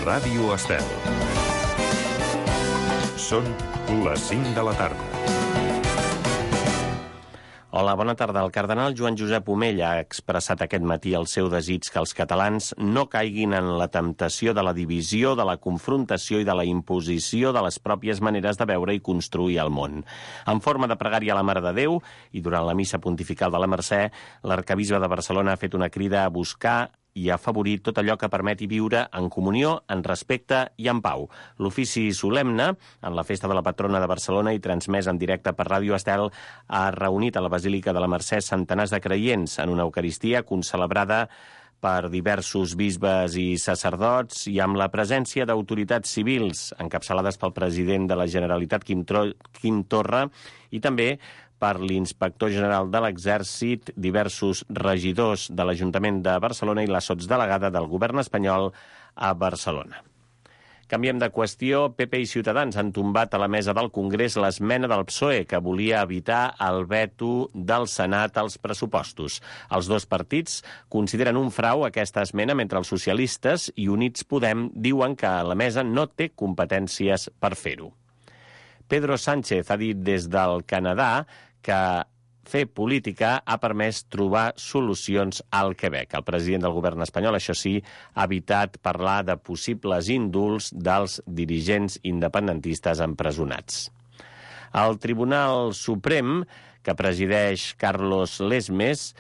Ràdio Estel. Són les 5 de la tarda. Hola, bona tarda. El cardenal Joan Josep Omell ha expressat aquest matí el seu desig que els catalans no caiguin en la temptació de la divisió, de la confrontació i de la imposició de les pròpies maneres de veure i construir el món. En forma de pregària a la Mare de Déu i durant la missa pontifical de la Mercè, l'arquebisbe de Barcelona ha fet una crida a buscar i afavorir tot allò que permeti viure en comunió, en respecte i en pau. L'ofici solemne, en la festa de la patrona de Barcelona i transmès en directe per Ràdio Estel, ha reunit a la Basílica de la Mercè centenars de creients en una Eucaristia concelebrada per diversos bisbes i sacerdots i amb la presència d'autoritats civils encapçalades pel president de la Generalitat, Quim Torra, i també per l'inspector general de l'Exèrcit, diversos regidors de l'Ajuntament de Barcelona i la sotsdelegada del govern espanyol a Barcelona. Canviem de qüestió. PP i Ciutadans han tombat a la mesa del Congrés l'esmena del PSOE que volia evitar el veto del Senat als pressupostos. Els dos partits consideren un frau aquesta esmena, mentre els socialistes i Units Podem diuen que la mesa no té competències per fer-ho. Pedro Sánchez ha dit des del Canadà que fer política ha permès trobar solucions al Quebec. El president del govern espanyol, això sí, ha evitat parlar de possibles indults dels dirigents independentistes empresonats. El Tribunal Suprem, que presideix Carlos Lesmes,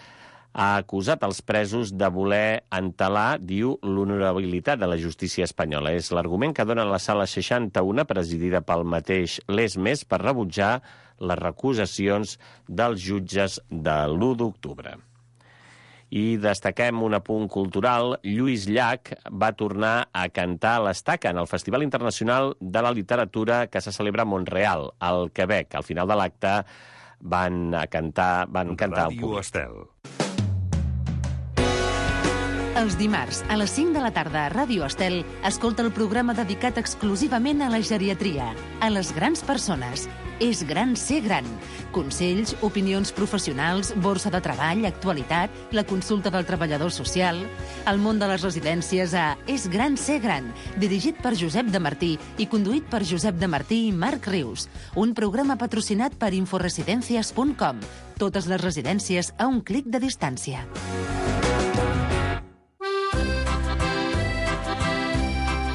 ha acusat els presos de voler entelar, diu, l'honorabilitat de la justícia espanyola. És l'argument que dona la sala 61, presidida pel mateix Lesmes, per rebutjar les recusacions dels jutges de l'1 d'octubre. I destaquem un apunt cultural. Lluís Llach va tornar a cantar a l'Estaca en el Festival Internacional de la Literatura que se celebra a Mont-real, al Quebec. Al final de l'acte van cantar al públic. Estel. Els dimarts, a les 5 de la tarda a Ràdio Estel, escolta el programa dedicat exclusivament a la geriatria, a les grans persones. És gran ser gran. Consells, opinions professionals, borsa de treball, actualitat, la consulta del treballador social, el món de les residències a És gran ser gran, dirigit per Josep de Martí i conduït per Josep de Martí i Marc Rius. Un programa patrocinat per inforesidencias.com. Totes les residències a un clic de distància.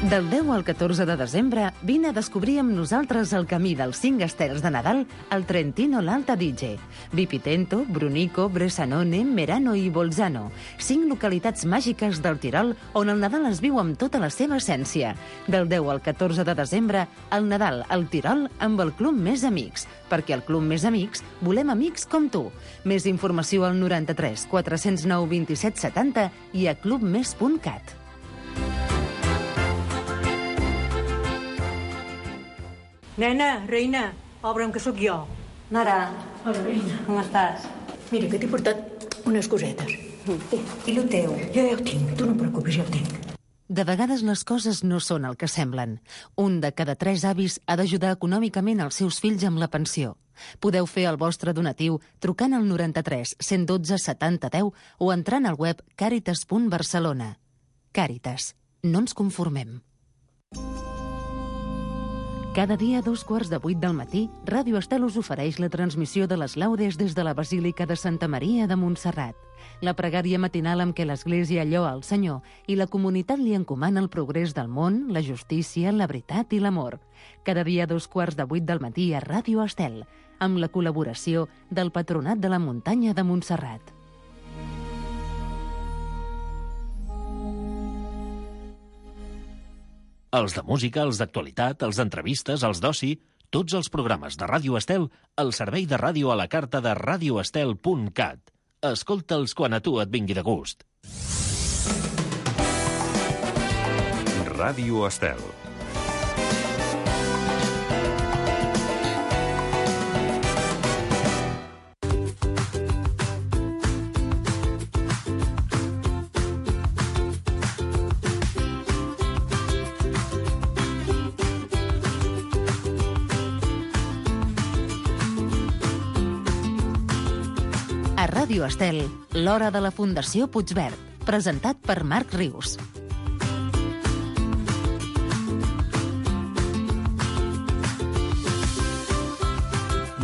Del 10 al 14 de desembre, vine a descobrir amb nosaltres el camí dels 5 estels de Nadal al Trentino l'Alta Adige. Vipitento, Brunico, Bressanone, Merano i Bolzano. 5 localitats màgiques del Tirol on el Nadal es viu amb tota la seva essència. Del 10 al 14 de desembre, el Nadal al Tirol amb el Club Més Amics. Perquè al Club Més Amics volem amics com tu. Més informació al 93 409 27 70 i a clubmes.cat. Nena, reina, obre'm que sóc jo. Mare. Hola, reina. Com estàs? Mira, que t'he portat unes cosetes. I lo teu? Jo ja ho tinc, tu no et preocupis, ja ho tinc. De vegades les coses no són el que semblen. Un de cada 3 avis ha d'ajudar econòmicament els seus fills amb la pensió. Podeu fer el vostre donatiu trucant al 93 112 70 10 o entrant al web caritas.barcelona. Càritas. No ens conformem. Cada dia a 7:45 del matí, Ràdio Estel us ofereix la transmissió de les laudes des de la Basílica de Santa Maria de Montserrat. La pregària matinal amb què l'Església lloa el Senyor i la comunitat li encomana el progrés del món, la justícia, la veritat i l'amor. Cada dia a 7:15 del matí a Ràdio Estel, amb la col·laboració del Patronat de la Muntanya de Montserrat. Els de música, els d'actualitat, els d'entrevistes, els d'oci, tots els programes de Ràdio Estel al servei de ràdio a la carta de radioestel.cat. Escolta'ls quan a tu et vingui de gust. Ràdio Estel. A Ràdio Estel, l'hora de la Fundació Puigverd, presentat per Marc Rius.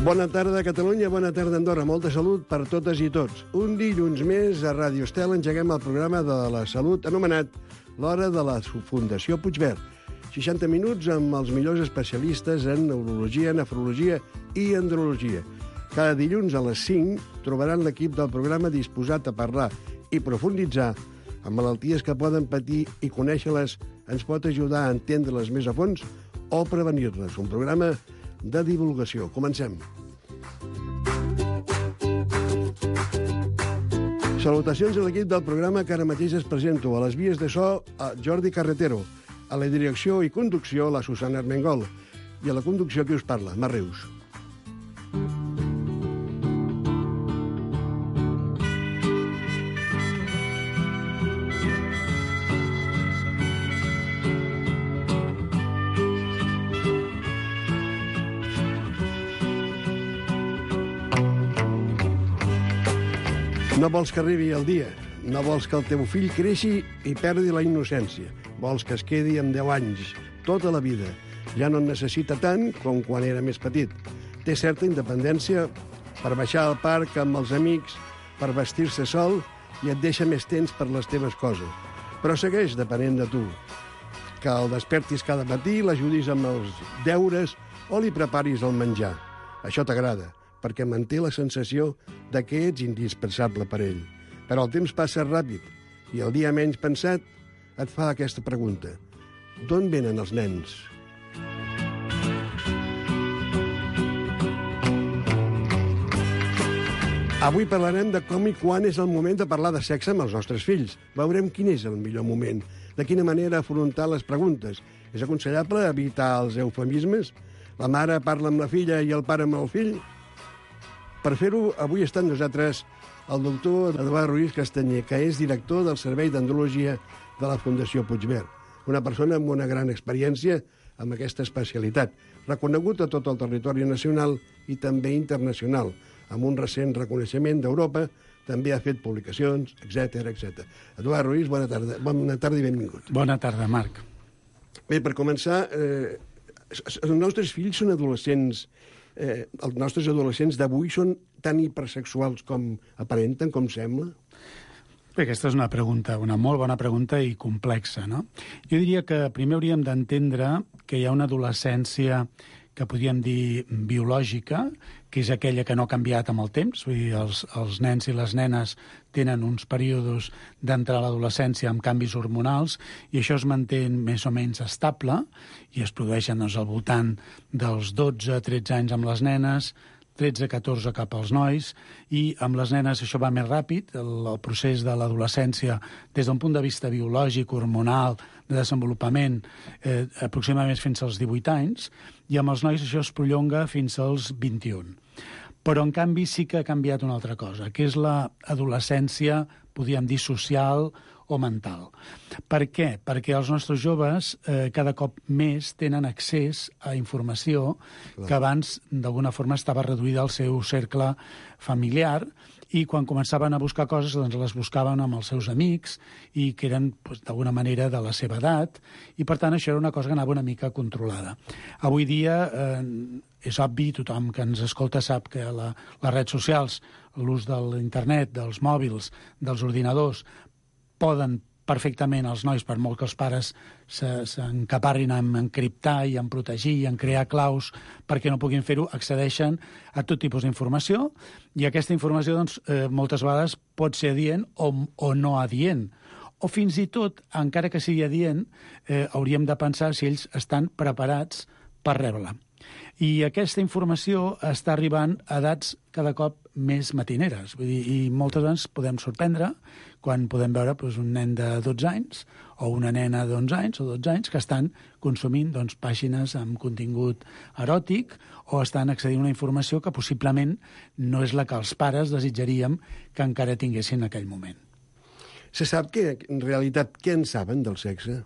Bona tarda, Catalunya, bona tarda, Andorra. Molta salut per totes i tots. Un dilluns més a Ràdio Estel engeguem el programa de la salut anomenat L'Hora de la Fundació Puigverd. 60 minuts amb els millors especialistes en neurologia, nefrologia i andrologia. Cada dilluns a les 5 trobaran l'equip del programa disposat a parlar i profunditzar en malalties que poden patir i conèixer-les ens pot ajudar a entendre-les més a fons o prevenir-les. Un programa de divulgació. Comencem. Salutacions a l'equip del programa que ara mateix es presento. A les vies de so, a Jordi Carretero. A la direcció i conducció, la Susana Armengol. I a la conducció, qui us parla? Mar Rius. No vols que arribi el dia, no vols que el teu fill creixi i perdi la innocència. Vols que es quedi amb 10 anys, tota la vida. Ja no en necessita tant com quan era més petit. Té certa independència per baixar al parc amb els amics, per vestir-se sol i et deixa més temps per les teves coses. Però segueix depenent de tu. Que el despertis cada matí, l'ajudis amb els deures o li preparis el menjar. Això t'agrada, perquè manté la sensació de que ets indispensable per ell. Però el temps passa ràpid i el dia menys pensat et fa aquesta pregunta. D'on venen els nens? Avui parlarem de com i quan és el moment de parlar de sexe amb els nostres fills. Veurem quin és el millor moment, de quina manera afrontar les preguntes. És aconsellable evitar els eufemismes? La mare parla amb la filla i el pare amb el fill? Per fer-ho, avui està amb nosaltres el doctor Eduard Ruiz Castanyer, que és director del Servei d'Andrologia de la Fundació Puigverd. Una persona amb una gran experiència amb aquesta especialitat, reconegut a tot el territori nacional i també internacional. Amb un recent reconeixement d'Europa, també ha fet publicacions, etc etc. Eduard Ruiz, bona tarda i benvingut. Bona tarda, Marc. Bé, per començar, els nostres fills són adolescents. Els nostres adolescents d'avui són tan hipersexuals com aparenten, com sembla? Bé, aquesta és una molt bona pregunta i complexa, no? Jo diria que primer hauríem d'entendre que hi ha una adolescència que podríem dir biològica, que és aquella que no ha canviat amb el temps. Vull dir, els nens i les nenes tenen uns períodes d'entrar a l'adolescència amb canvis hormonals i això es manté més o menys estable i es produeixen al voltant dels 12-13 anys amb les nenes, 13-14 cap als nois, i amb les nenes això va més ràpid, el procés de l'adolescència des d'un punt de vista biològic, hormonal, de desenvolupament, aproximadament fins als 18 anys, i amb els nois això es prolonga fins als 21. Però, en canvi, sí que ha canviat una altra cosa, que és l'adolescència, podríem dir, social o mental. Per què? Perquè els nostres joves cada cop més tenen accés a informació que abans, d'alguna forma, estava reduïda al seu cercle familiar i quan començaven a buscar coses doncs les buscaven amb els seus amics i que eren d'alguna manera de la seva edat i per tant això era una cosa que anava una mica controlada. Avui dia és obvi, tothom que ens escolta sap que les redes socials, l'ús de l'internet, dels mòbils, dels ordinadors, poden perfectament els nois, per molt que els pares s'encaparrin en encriptar i en protegir i en crear claus perquè no puguin fer-ho, accedeixen a tot tipus d'informació i aquesta informació doncs, moltes vegades pot ser adient o no adient. O fins i tot, encara que sigui adient, hauríem de pensar si ells estan preparats per rebre-la. I aquesta informació està arribant a edats cada cop més matineres. Vull dir, i moltes vegades podem sorprendre quan podem veure un nen de 12 anys o una nena d'11 anys o 12 anys que estan consumint pàgines amb contingut eròtic o estan accedint a una informació que possiblement no és la que els pares desitjaríem que encara tinguessin en aquell moment. Se sap que, en realitat, què en saben del sexe?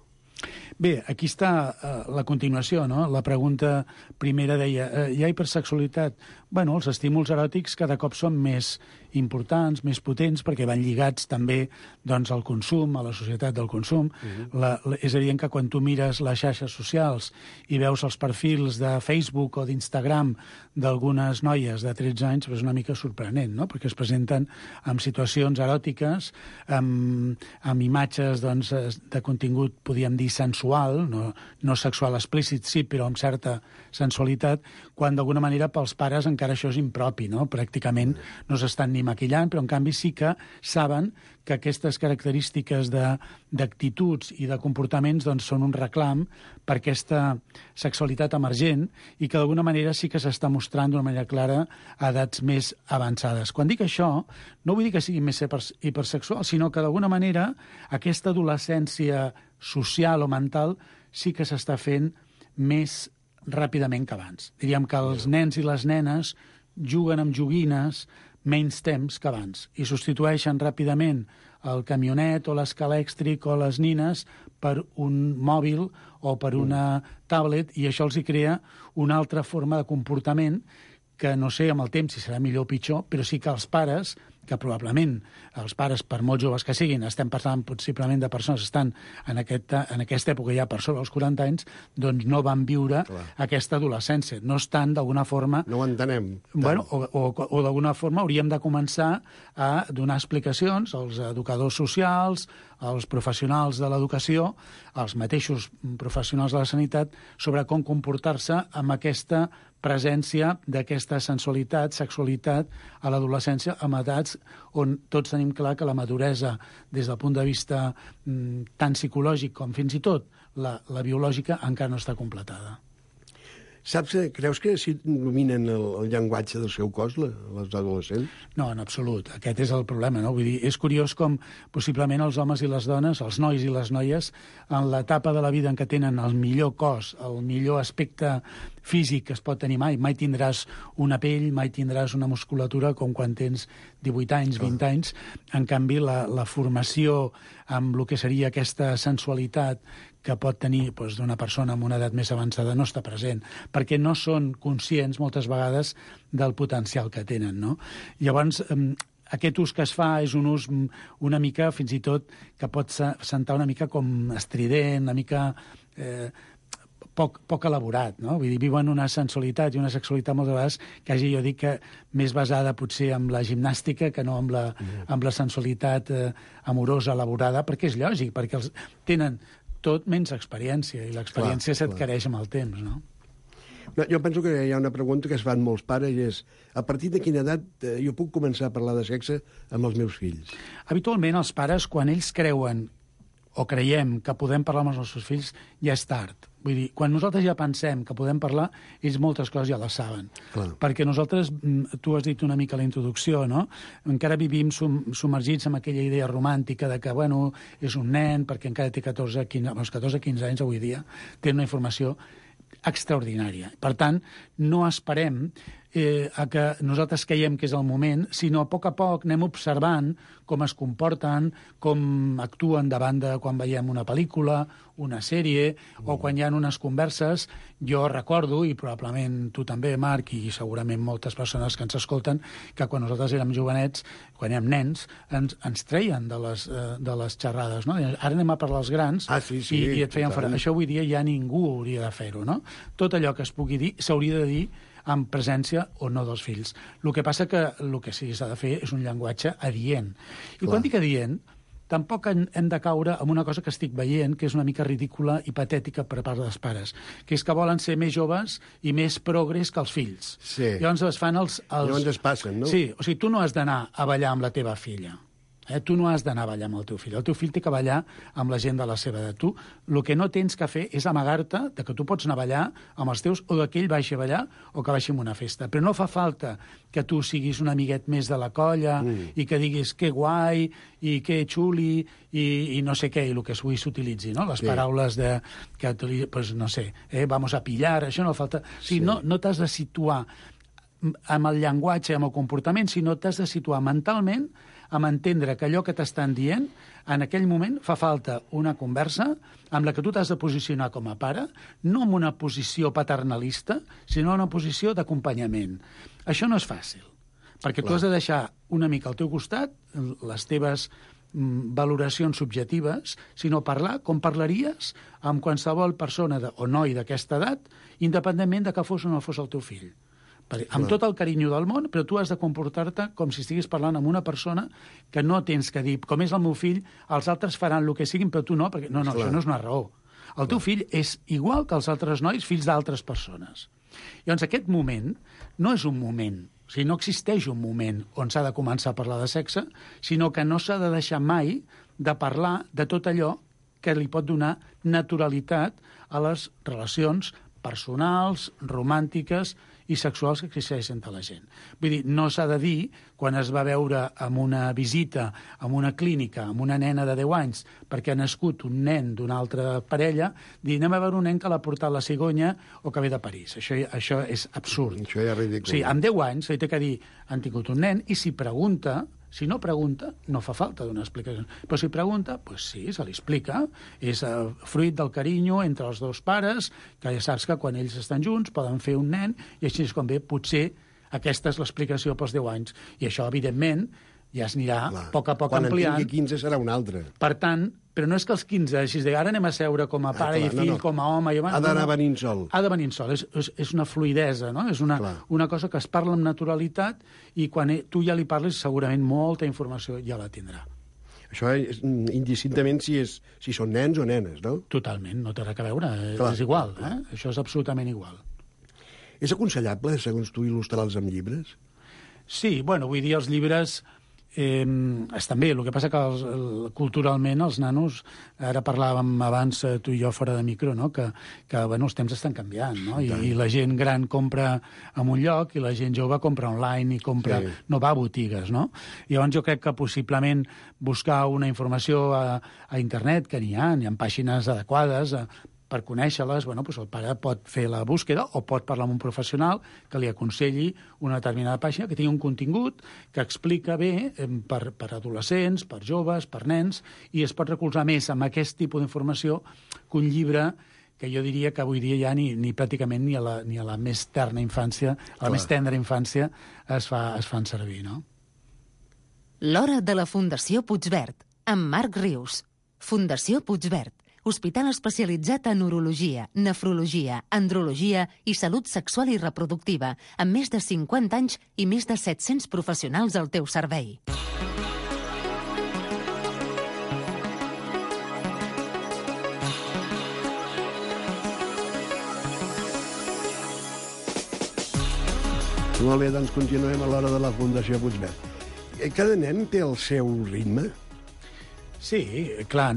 Bé, aquí està la continuació, no? La pregunta primera deia, hi ha hipersexualitat? Bueno, els estímuls eròtics cada cop són més importants, més potents, perquè van lligats també doncs, al consum, a la societat del consum. És evident que quan tu mires les xarxes socials i veus els perfils de Facebook o d'Instagram d'algunes noies de 13 anys, és una mica sorprenent, no? Perquè es presenten amb situacions eròtiques, amb imatges doncs, de contingut, podríem dir, sensual, no sexual explícit, sí, però amb certa sensualitat, quan d'alguna manera pels pares encara això és impropi, no? Pràcticament no s'estan ni maquillant, però en canvi sí que saben que aquestes característiques d'actituds i de comportaments doncs, són un reclam per aquesta sexualitat emergent i que d'alguna manera sí que s'està mostrant d'una manera clara a edats més avançades. Quan dic això, no vull dir que sigui més hipersexual, sinó que d'alguna manera aquesta adolescència social o mental sí que s'està fent més ràpidament que abans. Diríem que els nens i les nenes juguen amb joguines menys temps que abans i substitueixen ràpidament el camionet o l'escala elèctric o les nines per un mòbil o per una tablet i això els hi crea una altra forma de comportament que no sé amb el temps si serà millor o pitjor, però sí que els pares, que probablement els pares, per molt joves que siguin, estem parlant possiblement de persones que estan en aquesta època ja per sobre els 40 anys, doncs no van viure aquesta adolescència. No estan, d'alguna forma... No ho entenem. Bueno, o d'alguna forma hauríem de començar a donar explicacions als educadors socials, als professionals de l'educació, als mateixos professionals de la sanitat, sobre com comportar-se amb aquesta presència d'aquesta sensualitat, sexualitat a l'adolescència amb edats on tots tenim clar que la maduresa des del punt de vista tant psicològic com fins i tot la biològica encara no està completada. Saps, creus que si dominen el llenguatge del seu cos, les adolescents? No, en absolut. Aquest és el problema, no? Vull dir, és curiós com possiblement els homes i les dones, els nois i les noies, en l'etapa de la vida en què tenen el millor cos, el millor aspecte físic que es pot tenir mai tindràs una pell, mai tindràs una musculatura com quan tens 18 anys, 20 anys. En canvi, la formació amb el que seria aquesta sensualitat que pot tenir d'una persona amb una edat més avançada no està present, perquè no són conscients moltes vegades del potencial que tenen, no? Llavors, aquest ús que es fa és un ús una mica, fins i tot, que pot sentar una mica com estrident, una mica poc elaborat, no? Vull dir, viuen una sensualitat i una sexualitat moltes vegades quasi jo dic que més basada potser en la gimnàstica que no amb la sensualitat amorosa elaborada, perquè és lògic, perquè els tenen tot menys experiència, i l'experiència s'adquireix amb el temps, no? Jo penso que hi ha una pregunta que es fan molts pares i és, a partir de quina edat jo puc començar a parlar de sexe amb els meus fills? Habitualment els pares, quan ells creuen o creiem que podem parlar amb els nostres fills, ja és tard. Vull dir, quan nosaltres ja pensem que podem parlar, ells moltes coses ja les saben. Clar. Perquè nosaltres, tu has dit una mica a la introducció, no? Encara vivim submergits en aquella idea romàntica de que, bueno, és un nen, perquè encara té 14-15 anys avui dia, té una informació extraordinària. Per tant, no esperem a que nosaltres creiem que és el moment, sinó a poc anem observant com es comporten, com actuen davant de quan veiem una pel·lícula, una sèrie, o quan hi ha unes converses. Jo recordo, i probablement tu també, Marc, i segurament moltes persones que ens escolten, que quan nosaltres érem jovenets, quan érem nens, ens treien de les xerrades, no? Ara anem a parlar als grans, i et feien fora. Això avui dia ja ningú hauria de fer-ho, no? Tot allò que es pugui dir s'hauria de dir amb presència o no dels fills. El que passa que el que sí s'ha de fer és un llenguatge adient. I quan dic adient, tampoc hem de caure en una cosa que estic veient, que és una mica ridícula i patètica per part dels pares, que és que volen ser més joves i més progres que els fills. Sí. Llavors es fan els... Llavors es passen, no? Sí, o sigui, tu no has d'anar a ballar amb la teva filla. Tu no has d'anar a ballar amb el teu fill. El teu fill té que ballar amb la gent de la seva edat. Tu el que no tens que fer és amagar-te de que tu pots anar a ballar amb els teus o que ell vagi a ballar o que vagi a una festa. Però no fa falta que tu siguis un amiguet més de la colla i que diguis que guai i que xuli i no sé què, i el que avui s'utilitzi, no? Les paraules de... pues no sé, vamos a pillar, això no falta... O sigui, no t'has de situar amb el llenguatge, amb el comportament, sinó t'has de situar mentalment amb entendre que allò que t'estan dient, en aquell moment fa falta una conversa amb la que tu t'has de posicionar com a pare, no en una posició paternalista, sinó en una posició d'acompanyament. Això no és fàcil, perquè tu has de deixar una mica al teu costat, les teves valoracions subjectives, sinó parlar com parlaries amb qualsevol persona o noi d'aquesta edat, independentment de que fos o no fos el teu fill. Amb tot el carinyo del món, però tu has de comportar-te com si estiguis parlant amb una persona que no tens que dir, com és el meu fill, els altres faran el que siguin, però tu no, perquè no, això no és una raó. El teu fill és igual que els altres nois, fills d'altres persones. Llavors, aquest moment no és un moment, o sigui, no existeix un moment on s'ha de començar a parlar de sexe, sinó que no s'ha de deixar mai de parlar de tot allò que li pot donar naturalitat a les relacions personals, romàntiques i sexuals que existeixen entre la gent. Vull dir, no s'ha de dir, quan es va veure en una visita, en una clínica, amb una nena de 10 anys, perquè ha nascut un nen d'una altra parella, dir, anem a veure un nen que l'ha portat la cigonya o que ve de París. Això és absurd. Això ja és ridícul. O sigui, amb 10 anys li té que dir, han tingut un nen, i si pregunta, si no pregunta, no fa falta donar explicacions. Però si pregunta, doncs sí, se li explica. És fruit del carinyo entre els dos pares, que ja saps que quan ells estan junts poden fer un nen, i així és com ve, potser aquesta és l'explicació pels 10 anys. I això, evidentment, ja es anirà a poc ampliant. Quan en tingui 15 serà un altre. Per tant, però no és que els 15 així de ara anem a seure com a pare i fill, com a home... Ha d'anar venint sol. Ha de venint sol, és una fluidesa, no? És una cosa que es parla amb naturalitat i quan tu ja li parles segurament molta informació ja la tindrà. Això és indistintament si són nens o nenes, no? Totalment, no té res a veure, és igual, això és absolutament igual. És aconsellable, segons tu, il·lustrar-los amb llibres? Sí, bueno, vull dir, els llibres... estan bé, el que passa que culturalment els nanos, ara parlàvem abans tu i jo fora de micro, no? que bueno, els temps estan canviant, no? I la gent gran compra en un lloc i la gent jove compra online i compra, no va a botigues, no? I llavors jo crec que possiblement buscar una informació a internet, que n'hi ha pàgines adequades per conèixer-les, bueno, doncs el pare pot fer la búsqueda o pot parlar amb un professional que li aconselli una determinada pàgina que tingui un contingut que explica bé per adolescents, per joves, per nens, i es pot recolzar més amb aquest tipus d'informació que un llibre que jo diria que avui dia ja ni pràcticament ni a la més terna infància, a la més tendra infància es fan servir, no? L'hora de la Fundació Puigverd, amb Marc Rius. Fundació Puigverd, hospital especialitzat en urologia, nefrologia, andrologia i salut sexual i reproductiva, amb més de 50 anys i més de 700 professionals al teu servei. Molt bé, doncs continuem a l'hora de la Fundació Puigverd. Cada nen té el seu ritme? Sí, clar,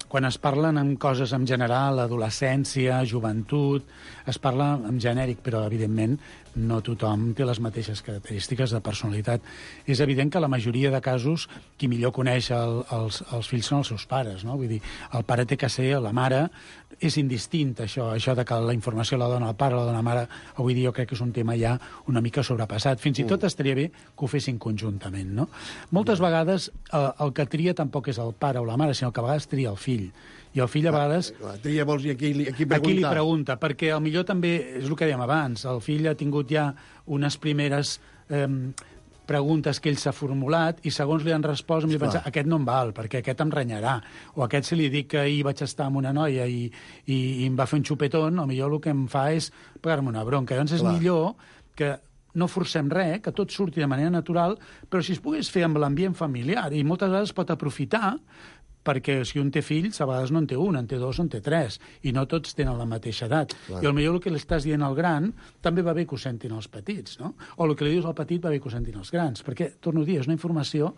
quan es parlen en coses en general, adolescència, joventut, es parla en genèric, però evidentment no tothom té les mateixes característiques de personalitat. És evident que la majoria de casos qui millor coneix els fills són els seus pares, no? Vull dir, el pare té que ser la mare, és indistint això de que la informació la dona el pare, la dona la mare, avui dia jo crec que és un tema ja una mica sobrepassat. Fins i tot estaria bé que ho fessin conjuntament, no? Moltes vegades el que tria tampoc és el pare o la mare, sinó que a vegades tria el fill. I el fill a vegades... Tria vols dir a qui preguntar. A qui li pregunta, perquè potser també, és el que dèiem abans, el fill ha tingut ja unes primeres preguntes que ell s'ha formulat i segons li han respost em pensa, aquest no em val, perquè aquest em renyarà, o aquest si li dic que ahir vaig estar amb una noia i em va fer un xupetón, potser el que em fa és pegar-me una bronca. Llavors és millor que no forcem res, que tot surti de manera natural, però si es pogués fer amb l'ambient familiar, i moltes vegades pot aprofitar perquè si un té fills, a vegades no en té un, en té dos, en té tres, i no tots tenen la mateixa edat. Clar. I potser el que li estàs dient al gran també va bé que ho sentin els petits, no? O el que li dius al petit va bé que ho sentin els grans, perquè, torno a dir, és una informació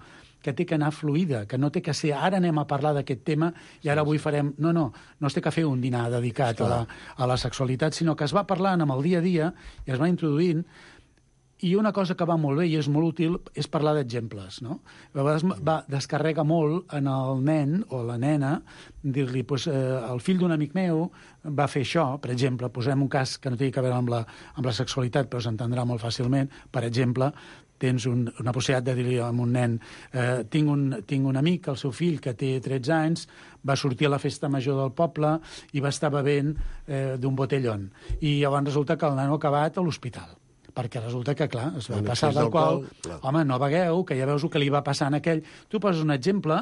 que té que anar fluida, que no té que ser ara anem a parlar d'aquest tema i ara avui farem... No es té que fer un dinar dedicat a la sexualitat, sinó que es va parlant amb el dia a dia i es va introduint. I una cosa que va molt bé i és molt útil és parlar d'exemples, no? A vegades descarrega molt en el nen o la nena dir-li, el fill d'un amic meu va fer això, per exemple, posem un cas que no té a veure amb la sexualitat, però s'entendrà molt fàcilment. Per exemple, tens una possibilitat de dir-li a un nen tinc un amic, el seu fill, que té 13 anys, va sortir a la festa major del poble i va estar bevent d'un botellón. I llavors resulta que el nano ha acabat a l'hospital. perquè resulta que, clar, es va En passar excés d'alcohol, d'alcohol, clar. home, no begueu, que ja veus el que li va passar a aquell. Tu poses un exemple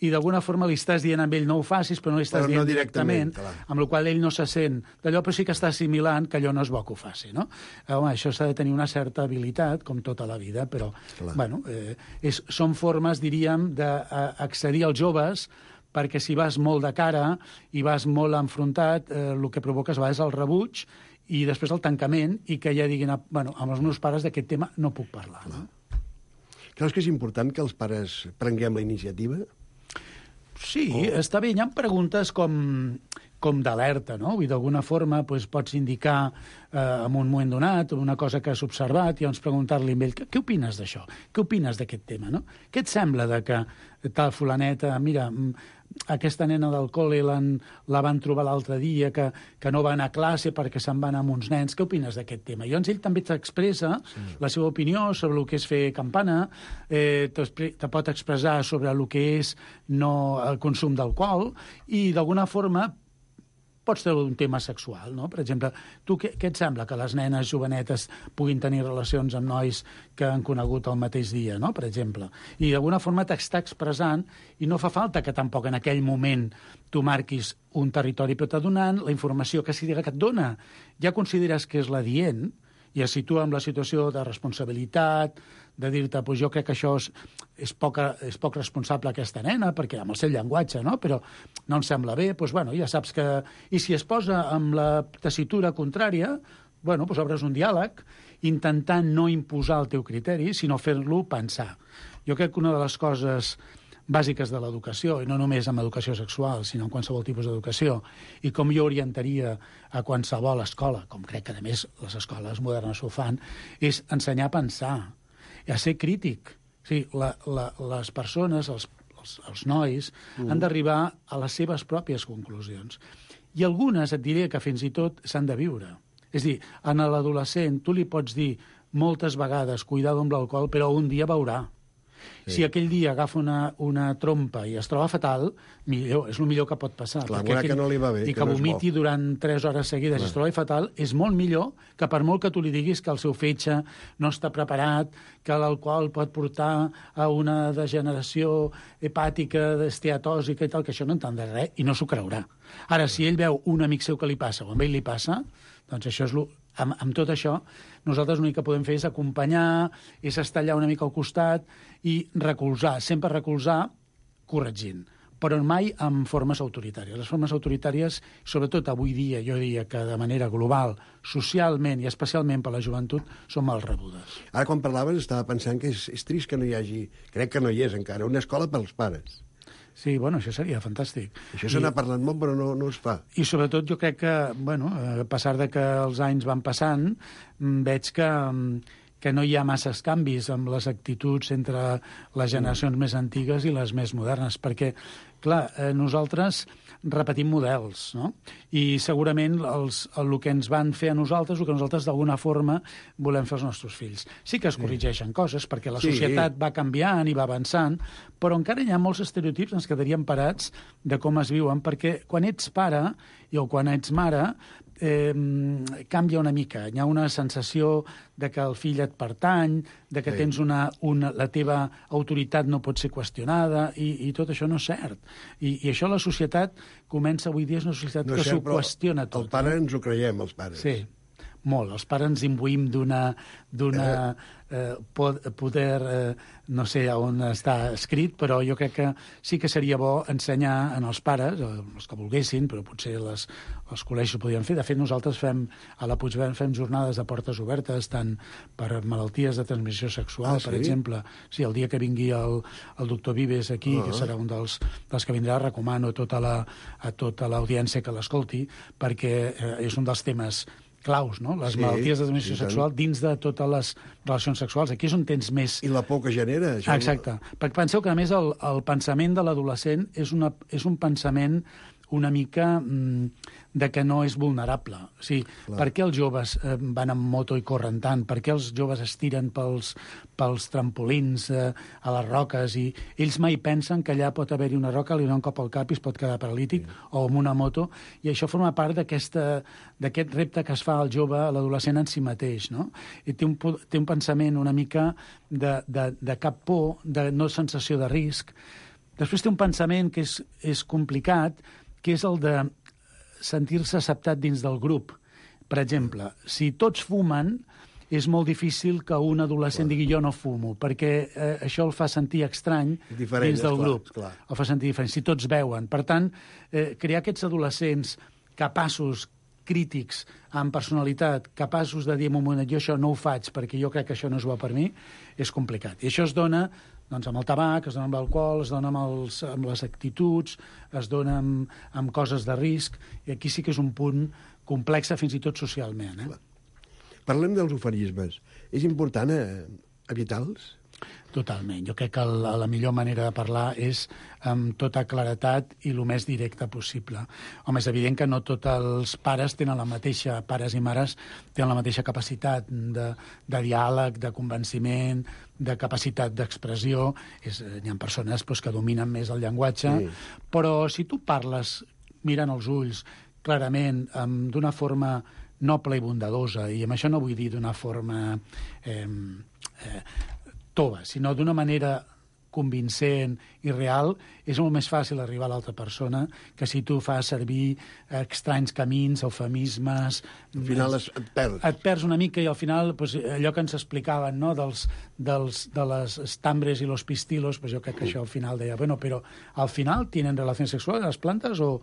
i d'alguna forma li estàs dient a ell no ho facis, però no li estàs Però no dient directament, clar. amb la qual ell no se sent d'allò, però sí que està assimilant que allò no és bo que ho faci, no? Home, això s'ha de tenir una certa habilitat, com tota la vida, però, bueno, són formes, diríem, d'accedir als joves, perquè si vas molt de cara i vas molt enfrontat, el que provoques a vegades el rebuig i després el tancament i que ja diguin, bueno, amb els meus pares d'aquest tema no puc parlar. No? Creus que és important que els pares prenguem la iniciativa? Sí, està bé. Hi ha preguntes com d'alerta, no? Vull dir, d'alguna forma pots indicar en un moment donat una cosa que has observat i llavors preguntar-li a ell, què opines d'això? Què opines d'aquest tema, no? Què et sembla de que tal fulaneta, mira, aquesta nena del col·le la van trobar l'altre dia, que no va anar a classe perquè se'n van amb uns nens, què opines d'aquest tema? I llavors ell també t'expressa la seva opinió sobre el que és fer campana, te pot expressar sobre el que és el consum d'alcohol i d'alguna forma pots treure un tema sexual, no? Per exemple, tu què et sembla que les nenes jovenetes puguin tenir relacions amb nois que han conegut el mateix dia, no? Per exemple. I d'alguna forma t'està expressant i no fa falta que tampoc en aquell moment tu marquis un territori, però t'ha donant la informació que et dona. Ja consideres que és l'adient i es situa en la situació de responsabilitat, de dir-te, jo crec que això és poc responsable aquesta nena, perquè amb el seu llenguatge, no? Però no em sembla bé, bueno, ja saps que... I si es posa amb la tessitura contrària, bueno, obres un diàleg, intentant no imposar el teu criteri, sinó fer-lo pensar. Jo crec que una de les coses bàsiques de l'educació, i no només amb educació sexual, sinó en qualsevol tipus d'educació, i com jo orientaria a qualsevol escola, com crec que, a més, les escoles modernes ho fan, és ensenyar a pensar, a ser crític. O sigui, les persones, els nois, han d'arribar a les seves pròpies conclusions. I algunes, et diré que fins i tot s'han de viure. És a dir, a l'adolescent tu li pots dir moltes vegades, cuidado amb l'alcohol, però un dia veurà. Sí. Si aquell dia agafa una trompa i es troba fatal, és el millor que pot passar. Clar, que no li va bé. I que vomiti durant 3 hores seguides i es troba fatal, és molt millor que per molt que tu li diguis que el seu fetge no està preparat, que l'alcohol pot portar a una degeneració hepàtica, d'esteatòsica i tal, que això no entendrà res i no s'ho creurà. Ara, si ell veu un amic seu que li passa o amb ell li passa, doncs això és amb tot això, nosaltres l'únic que podem fer és acompanyar, és estar allà una mica al costat i recolzar, sempre recolzar corregint, però mai amb formes autoritàries. Les formes autoritàries, sobretot avui dia, jo diria que de manera global, socialment i especialment per la joventut, són mal rebudes. Ara, quan parlaves, estava pensant que és trist que no hi hagi, crec que no hi és encara, una escola pels pares. Sí, bueno, això seria fantàstic. Això se n'ha parlat molt, però no es fa. I sobretot jo crec que, bueno, a pesar de que els anys van passant, veig que no hi ha masses canvis amb les actituds entre les generacions més antigues i les més modernes, perquè, clar, nosaltres repetim models, no? I segurament el que ens van fer a nosaltres, el que nosaltres d'alguna forma volem fer als nostres fills. Sí que es corregeixen coses, perquè la societat va canviant i va avançant, però encara hi ha molts estereotips ens quedaríem parats de com es viuen, perquè quan ets pare o quan ets mare canvia una mica. Hi ha una sensació de que el fill et pertany, de que tens la teva autoritat no pot ser qüestionada, i tot això no és cert. I això la societat comença avui dia, és una societat que s'ho qüestiona tot. El pare ens ho creiem, els pares. Sí, molt. Els pares ens imbuïm d'una poder, no sé on està escrit, però jo crec que sí que seria bo ensenyar als pares, els que volguessin, però potser els col·legis ho podien fer. De fet, nosaltres a la Puigverd fem jornades de portes obertes, tant per malalties de transmissió sexual, per exemple. Sí, el dia que vingui el doctor Vives aquí, que serà un dels que vindrà, recomano a tota l'audiència que l'escolti, perquè és un dels temes claus, no? Les malalties de transmissió sexual dins de totes les relacions sexuals. Aquí és on tens més... I la por que genera. Exacte. Perquè penseu que, a més, el pensament de l'adolescent és un pensament una mica de que no és vulnerable. O sigui, per què els joves van amb moto i corren tant? Per què els joves es tiren pels trampolins a les roques? I ells mai pensen que allà pot haver-hi una roca, li dona un cop al cap i es pot quedar paralític, o amb una moto. I això forma part d'aquest repte que es fa al jove, a l'adolescent en si mateix, no? I té un pensament una mica de cap por, de no sensació de risc. Després té un pensament que és complicat, que és el de sentir-se acceptat dins del grup. Per exemple, si tots fumen, és molt difícil que un adolescent digui jo no fumo, perquè això el fa sentir estrany dins del grup. El fa sentir diferent, si tots beuen. Per tant, crear aquests adolescents capaços, crítics, amb personalitat, capaços de dir en un moment, jo això no ho faig perquè jo crec que això no és bo per mi, és complicat. I això es dona doncs, amb el tabac, es dona amb l'alcohol, es dona amb les actituds, es dona amb coses de risc, i aquí sí que és un punt complex fins i tot socialment. Parlem dels ofarismes. És important evitar-los? Totalment. Jo crec que la millor manera de parlar és amb tota claretat i el més directe possible. Home, és evident que no tots els pares tenen la mateixa, pares i mares tenen la mateixa capacitat de diàleg, de convenciment, de capacitat d'expressió. Hi ha persones que dominen més el llenguatge, però si tu parles mirant els ulls clarament, d'una forma noble i bondadosa, i amb això no vull dir d'una forma tova, sinó d'una manera convincent i real, és molt més fàcil arribar a l'altra persona que si tu fas servir estranys camins, eufemismes... Al final et perds. Et perds una mica i al final allò que ens explicaven, no?, de les estambres i los pistilos, jo crec que això al final deia, bueno, però al final tienen relacions sexuals les plantes o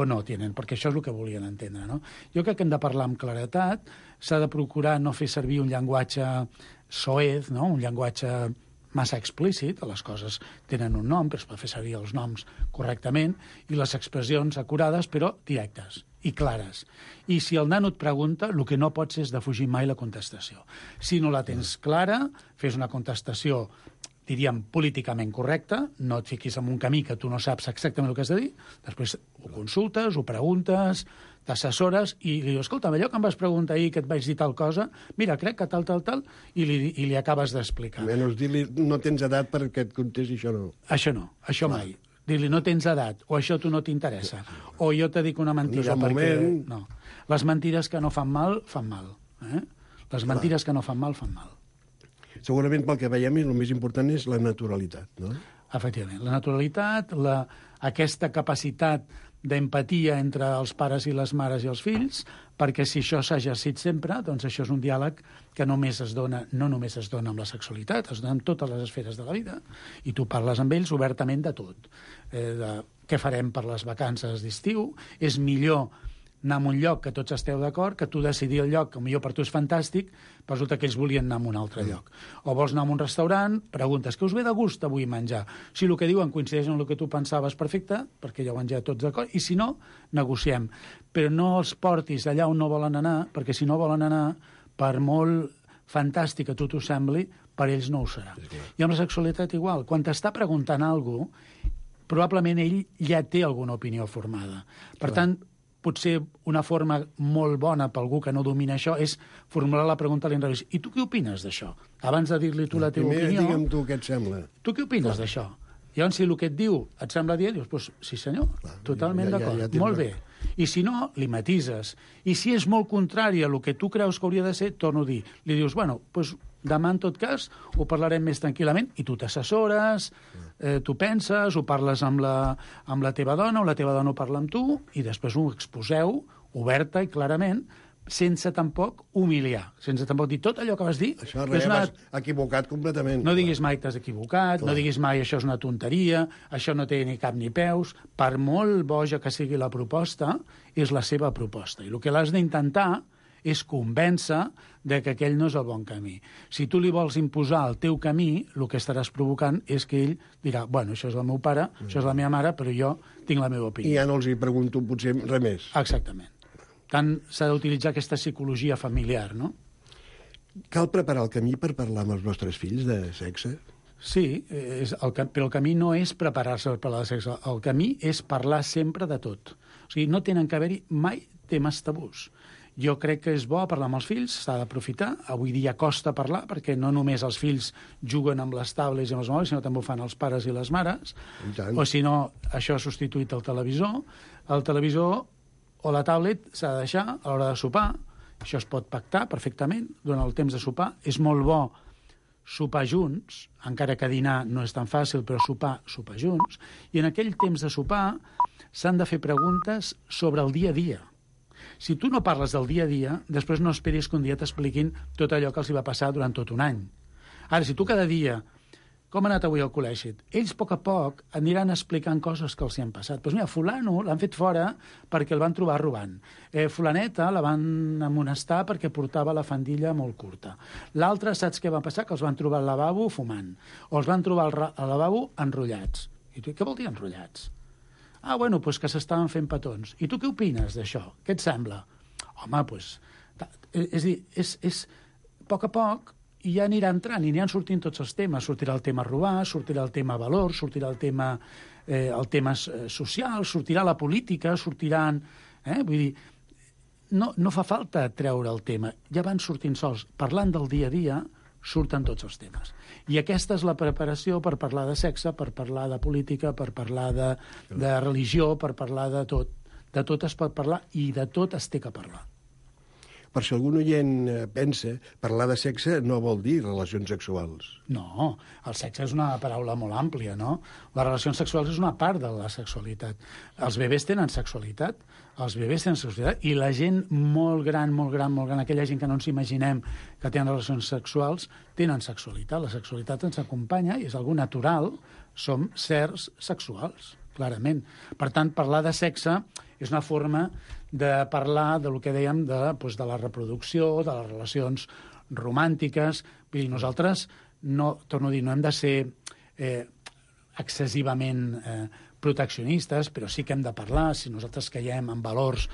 no tienen? Perquè això és el que volien entendre, no? Jo crec que hem de parlar amb claretat, s'ha de procurar no fer servir un llenguatge soez, no?, un llenguatge massa explícit, les coses tenen un nom, però es pot fer servir els noms correctament, i les expressions acurades, però directes i clares. I si el nano et pregunta, el que no pots és defugir mai la contestació. Si no la tens clara, fes una contestació, diríem, políticament correcta, no et fiquis en un camí que tu no saps exactament el que has de dir, després ho consultes, ho preguntes, t'assessores i li dius, escolta, allò que em vas preguntar ahir que et vaig dir tal cosa, mira, crec que tal, i li acabes d'explicar. Menys dir-li, no tens edat perquè et contesti això no. Això no, això mai. Dir-li, no tens edat, o això a tu no t'interessa, o jo te dic una mentida perquè... No. Les mentides que no fan mal, fan mal. Les mentides que no fan mal, fan mal. Segurament pel que veiem el més important és la naturalitat, no? Efectivament, la naturalitat, aquesta capacitat d'empatia entre els pares i les mares i els fills, perquè si això s'ha exercit sempre, doncs això és un diàleg que no només es dona amb la sexualitat, es dona en totes les esferes de la vida, i tu parles amb ells obertament de tot. Què farem per les vacances d'estiu? És millor anar a un lloc que tots esteu d'acord, que tu decidir el lloc, que potser per tu és fantàstic, però resulta que ells volien anar a un altre lloc. O vols anar a un restaurant, preguntes, què us ve de gust avui menjar? Si el que diuen coincideix amb el que tu pensaves, perfecte, perquè ja ho han ja tots d'acord, i si no, negociem. Però no els portis allà on no volen anar, perquè si no volen anar, per molt fantàstic que tu t'ho sembli, per ells no ho serà. I amb la sexualitat igual. Quan t'està preguntant alguna cosa, probablement ell ja té alguna opinió formada. Per tant, potser una forma molt bona per algú que no domina això és formular la pregunta a l'inrevés. I tu què opines d'això? Abans de dir-li tu la teva opinió... Primer digue'm tu què et sembla. Tu què opines d'això? Llavors, si el que et diu et sembla dir, dius, pues, sí senyor, totalment d'acord, molt bé. I si no, li matises. I si és molt contrari a el que tu creus que hauria de ser, torno a dir, li dius, bueno, doncs demà, en tot cas, ho parlarem més tranquil·lament, i tu t'assessores, tu penses, ho parles amb la teva dona, o la teva dona ho parla amb tu, i després ho exposeu oberta i clarament, sense tampoc humiliar, sense tampoc dir tot allò que vas dir... Això vas equivocat completament. No diguis mai t'has equivocat, no diguis mai això és una tonteria, això no té ni cap ni peus. Per molt boja que sigui la proposta, és la seva proposta. I el que l'has d'intentar és convèncer de que aquell no és el bon camí. Si tu li vols imposar el teu camí, el que estaràs provocant és que ell dirà, bueno, això és el meu pare, això és la meva mare, però jo tinc la meva opinió. I ja no els hi pregunto potser res més. Exactament. Tant s'ha d'utilitzar aquesta psicologia familiar, no? Cal preparar el camí per parlar amb els nostres fills de sexe? Sí, però el camí no és preparar-se per parlar de sexe. El camí és parlar sempre de tot. O sigui, no tenen que haver-hi mai temes tabús. Jo crec que és bo parlar amb els fills, s'ha d'aprofitar. Avui dia costa parlar, perquè no només els fills juguen amb les tablets i amb els mòbils, sinó també ho fan els pares i les mares. O si no, això ha substituït el televisor. El televisor o la tablet s'ha de deixar a l'hora de sopar. Això es pot pactar perfectament durant el temps de sopar. És molt bo sopar junts, encara que dinar no és tan fàcil, però sopar junts. I en aquell temps de sopar s'han de fer preguntes sobre el dia a dia. Si tu no parles del dia a dia, després no esperis que un dia t'expliquin tot allò que els hi va passar durant tot un any. Ara, si tu cada dia, com ha anat avui al col·legi? Ells, a poc, aniran explicant coses que els hi han passat. Doncs mira, fulano l'han fet fora perquè el van trobar robant. Fulaneta la van amonestar perquè portava la faldilla molt curta. L'altre, saps què va passar? Que els van trobar al lavabo fumant. O els van trobar al lavabo enrotllats. I tu, què vol dir enrotllats? Ah, bueno, doncs que s'estaven fent petons. I tu què opines d'això? Què et sembla? Home, doncs... És a dir, és a poc, i ja anirà entrant, i aniran sortint tots els temes. Sortirà el tema robar, sortirà el tema valor, sortirà el tema social, sortirà la política, sortiran... Vull dir, no fa falta treure el tema. Ja van sortint sols. Parlant del dia a dia, surten tots els temes. I aquesta és la preparació per parlar de sexe, per parlar de política, per parlar de religió, per parlar de tot. De tot es pot parlar i de tot es té que parlar. Per si algun oient pensa, parlar de sexe no vol dir relacions sexuals. No, el sexe és una paraula molt àmplia, no? Les relacions sexuals és una part de la sexualitat. Els bebès tenen sexualitat, i la gent molt gran, aquella gent que no ens imaginem que tenen relacions sexuals, tenen sexualitat. La sexualitat ens acompanya i és algo natural. Som sers sexuals, clarament. Per tant, parlar de sexe és una forma de parlar del que dèiem de la reproducció, de les relacions romàntiques. Vull dir, nosaltres, torno a dir, no hem de ser excessivament proteccionistes, però sí que hem de parlar, si nosaltres caiem en valors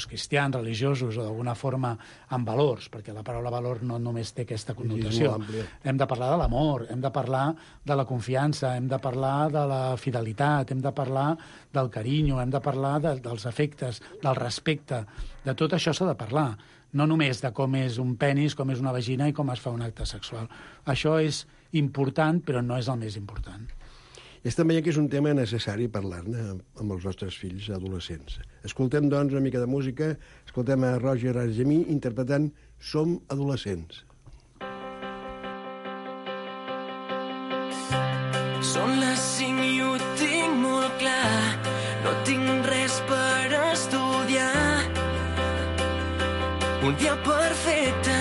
cristians, religiosos o d'alguna forma en valors, perquè la paraula valor no només té aquesta connotació. Hem de parlar de l'amor, hem de parlar de la confiança, hem de parlar de la fidelitat, hem de parlar del carinyo, hem de parlar dels afectes, del respecte. De tot això s'ha de parlar, no només de com és un penis, com és una vagina i com es fa un acte sexual. Això és important, però no és el més important. Estem veient que és un tema necessari parlar-ne amb els nostres fills adolescents. Escoltem, doncs, una mica de música. Escoltem a Roger Argemí interpretant Som adolescents. Són les 5 i ho tinc molt clar. No tinc res per estudiar. Un dia perfecte.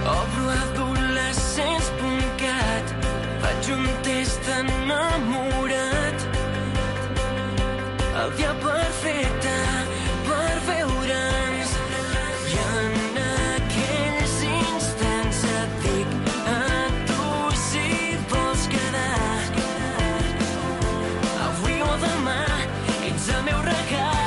Obro adolescents.cat. Faig un test enamorat. El dia perfecte per veure'ns. I en aquells instants et dic a tu si vols quedar. Avui o demà ets el meu regal.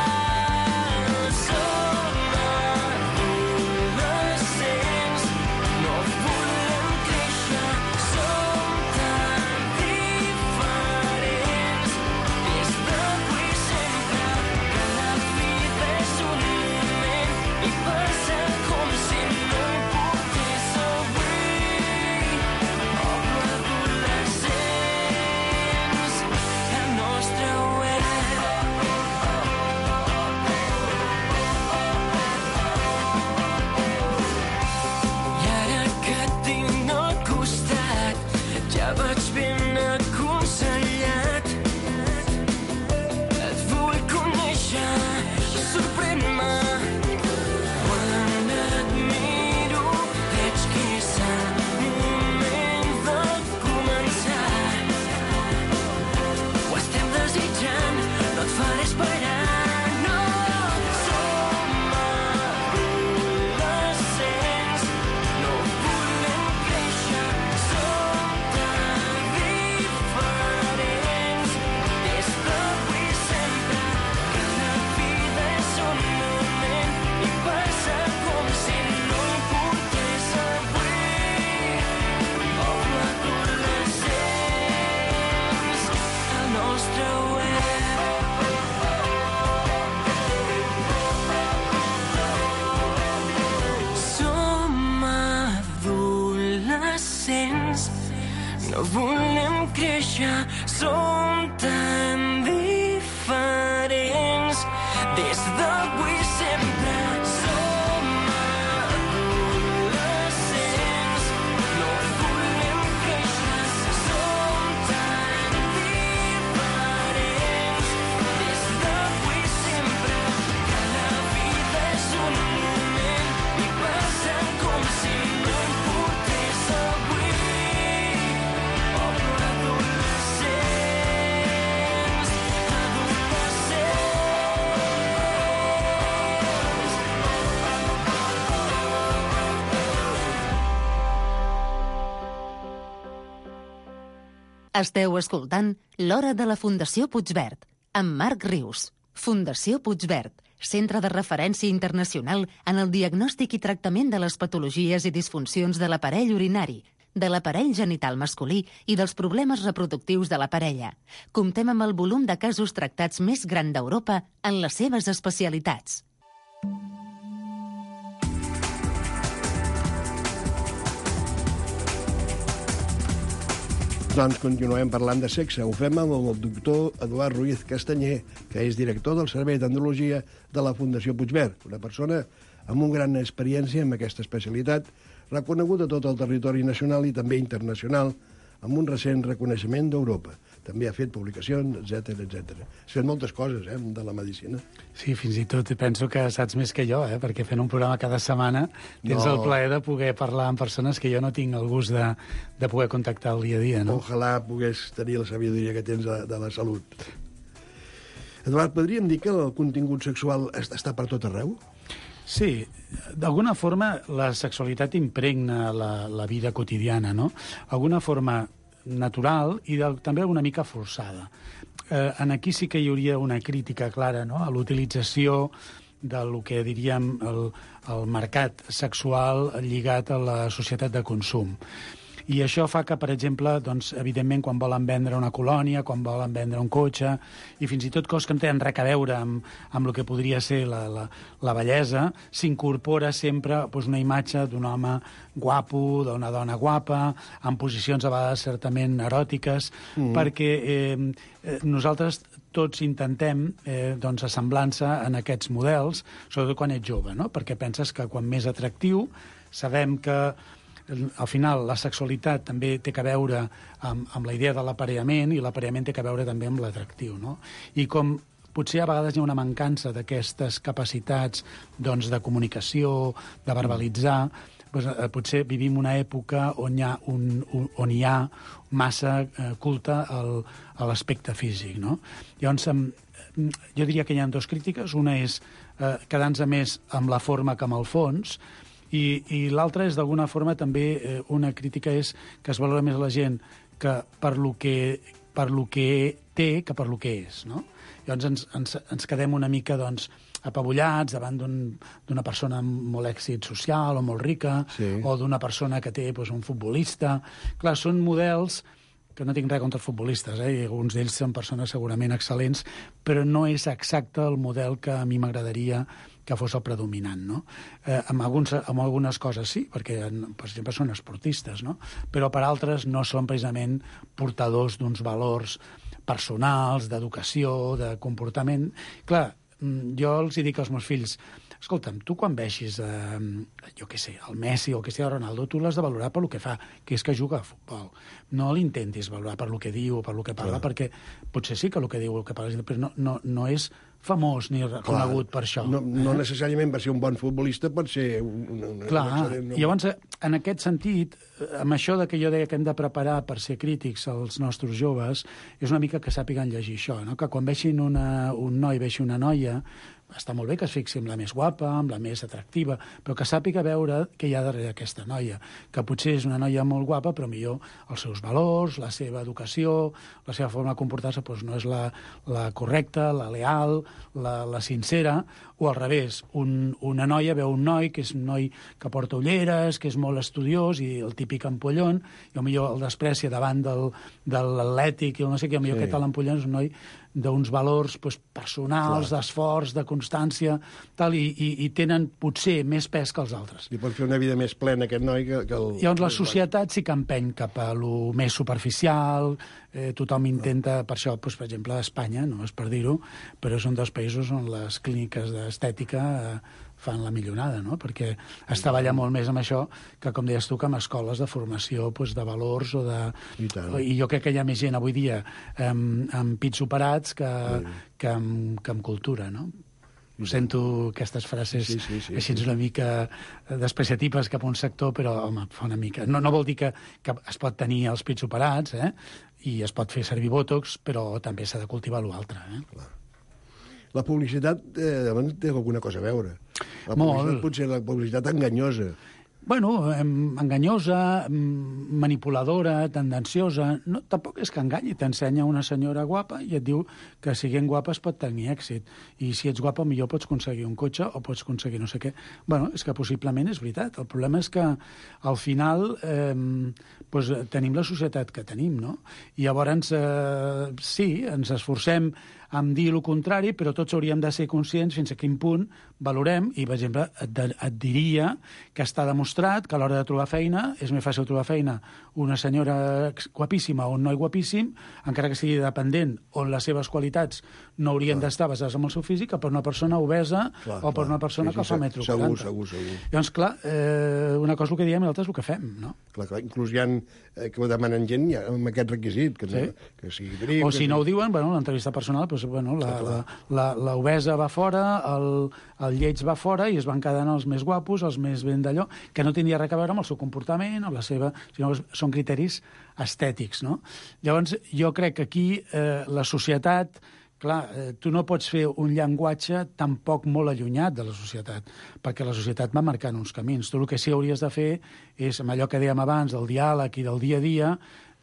Esteu escoltant L'Hora de la Fundació Puigverd, amb Marc Rius. Fundació Puigverd, centre de referència internacional en el diagnòstic i tractament de les patologies i disfuncions de l'aparell urinari, de l'aparell genital masculí i dels problemes reproductius de la parella. Comptem amb el volum de casos tractats més gran d'Europa en les seves especialitats. Doncs continuem parlant de sexe. Ho fem amb el doctor Eduard Ruiz Castanyer, que és director del Servei d'Andrologia de la Fundació Puigverd, una persona amb una gran experiència en aquesta especialitat, reconeguda a tot el territori nacional i també internacional, amb un recent reconeixement d'Europa. També ha fet publicacions, etc etc. Ha fet moltes coses, de la medicina. Sí, fins i tot penso que saps més que jo, perquè fent un programa cada setmana tens el plaer de poder parlar amb persones que jo no tinc el gust de poder contactar el dia a dia, no? Ojalà pogués tenir la sabidoria que tens de la salut. Eduard, podríem dir que el contingut sexual està per tot arreu? Sí, d'alguna forma la sexualitat impregna la vida quotidiana, no? D'alguna forma natural i també una mica forçada. Aquí sí que hi hauria una crítica clara, no?, a l'utilització del que diríem el mercat sexual lligat a la societat de consum. I això fa que, per exemple, doncs, evidentment, quan volen vendre una colònia, quan volen vendre un cotxe, i fins i tot coses que no tenen res a veure amb el que podria ser la bellesa, s'incorpora sempre doncs, una imatge d'un home guapo, d'una dona guapa, en posicions a vegades certament eròtiques, perquè nosaltres tots intentem doncs, assemblar-se en aquests models, sobretot quan ets jove, no? Perquè penses que quan més atractiu, sabem que al final la sexualitat també té a veure amb la idea de l'aparellament i l'aparellament té a veure també amb l'atractiu, no? I com potser a vegades hi ha una mancança d'aquestes capacitats doncs, de comunicació, de verbalitzar, doncs, potser vivim una època on hi ha massa culte a l'aspecte físic, no? Llavors, jo diria que hi ha dues crítiques. Una és quedar-nos més amb la forma que amb el fons, i l'altra és, d'alguna forma, també una crítica és que es valora més la gent que per lo que té que per lo que és, no? Llavors ens quedem una mica, doncs, apabullats davant d'una persona amb molt èxit social o molt rica, sí, o d'una persona que té doncs, un futbolista. Clar, són models que no tinc res contra els futbolistes, i alguns d'ells són persones segurament excel·lents, però no és exacte el model que a mi m'agradaria que fos el predominant, no? Amb algunes coses sí, perquè, per exemple, són esportistes, no? Però per altres no són precisament portadors d'uns valors personals, d'educació, de comportament. Clar, jo els dic als meus fills, escolta'm, tu quan vegis, jo què sé, el Messi o el Cristiano Ronaldo, tu l'has de valorar per lo que fa, que és que juga a futbol. No l'intentis valorar per lo que diu o per lo que parla, perquè potser sí que el que diu o el que parla, però no és famós ni reconegut per això. No necessàriament va ser un bon futbolista, pot ser Clar, i llavors, en aquest sentit, amb això de que jo deia que hem de preparar per ser crítics als nostres joves, és una mica que sàpiguen llegir això, no? Que quan vegin un noi, vegi una noia, està molt bé que es fixi amb la més guapa, amb la més atractiva, però que sàpiga veure què hi ha darrere aquesta noia, que potser és una noia molt guapa, però millor els seus valors, la seva educació, la seva forma de comportar-se doncs no és la correcta, la leal, la sincera, o al revés, una noia veu un noi que és un noi que porta ulleres, que és molt estudiós i el típic ampollon, i potser el desprecia davant de l'atlètic i el no sé què, potser aquest ampollon és un noi d'uns valors personals, d'esforç, de constància, tal, i tenen potser més pes que els altres. I pot fer una vida més plena aquest noi que el... Llavors la societat sí que empeny cap a lo més superficial, tothom intenta, per això, per exemple, a Espanya, no és per dir-ho, però són dos països on les clíniques d'estètica fan la millonada, no? Perquè es treballa molt més amb això que, com deies tu, que amb escoles de formació de valors o de... I jo crec que hi ha més gent avui dia amb pits operats que amb cultura, no? Sento aquestes frases així una mica despreciatives cap a un sector, però, home, fa una mica... No vol dir que es pot tenir els pits operats, i es pot fer servir bòtox, però també s'ha de cultivar l'altre, Clar. La publicitat té alguna cosa a veure. La publicitat, potser la publicitat enganyosa. Bueno, enganyosa, manipuladora, tendenciosa... No, tampoc és que enganyi, t'ensenya una senyora guapa i et diu que siguent guapa es pot tenir èxit. I si ets guapa, millor pots aconseguir un cotxe o pots aconseguir no sé què. Bueno, és que possiblement és veritat. El problema és que al final doncs, tenim la societat que tenim, no? I llavors, sí, ens esforcem en dir el contrari, però tots hauríem de ser conscients fins a quin punt valorem, i, per exemple, et diria que està demostrat que a l'hora de trobar feina és més fàcil trobar feina una senyora guapíssima o un noi guapíssim, encara que sigui dependent, on les seves qualitats no haurien d'estar basades en el seu físic, que per una persona obesa o per una persona que fa 1,40 m. Segur. Llavors, clar, una cosa és el que diem i l'altra és el que fem, no? Clar, inclús hi ha que ho demanen gent amb aquest requisit, que sigui grip... O si no ho diuen, bueno, l'entrevista personal, doncs, bueno, l'obesa va fora, el lleig va fora i es van quedant els més guapos, els més ben d'allò, que no tindria res a veure amb el seu comportament, amb la seva... sinó són criteris estètics, no? Llavors, jo crec que aquí la societat... Clar, tu no pots fer un llenguatge tampoc molt allunyat de la societat, perquè la societat va marcant uns camins. Tu el que sí hauries de fer és, amb allò que dèiem abans, del diàleg i del dia a dia,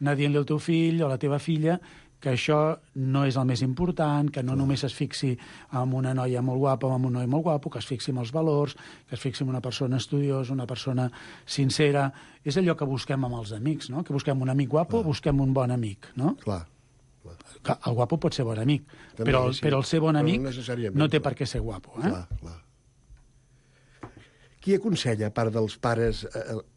anar dient-li al teu fill o a la teva filla que això no és el més important, que no només es fixi en una noia molt guapa o en un noi molt guapo, que es fixi en els valors, que es fixi en una persona estudiosa, una persona sincera. És allò que busquem amb els amics, no? Que busquem un amic guapo o busquem un bon amic, no? Clar. El guapo pot ser bon amic, però el ser bon amic no té per què ser guapo. Clar. Qui aconsella, a part dels pares,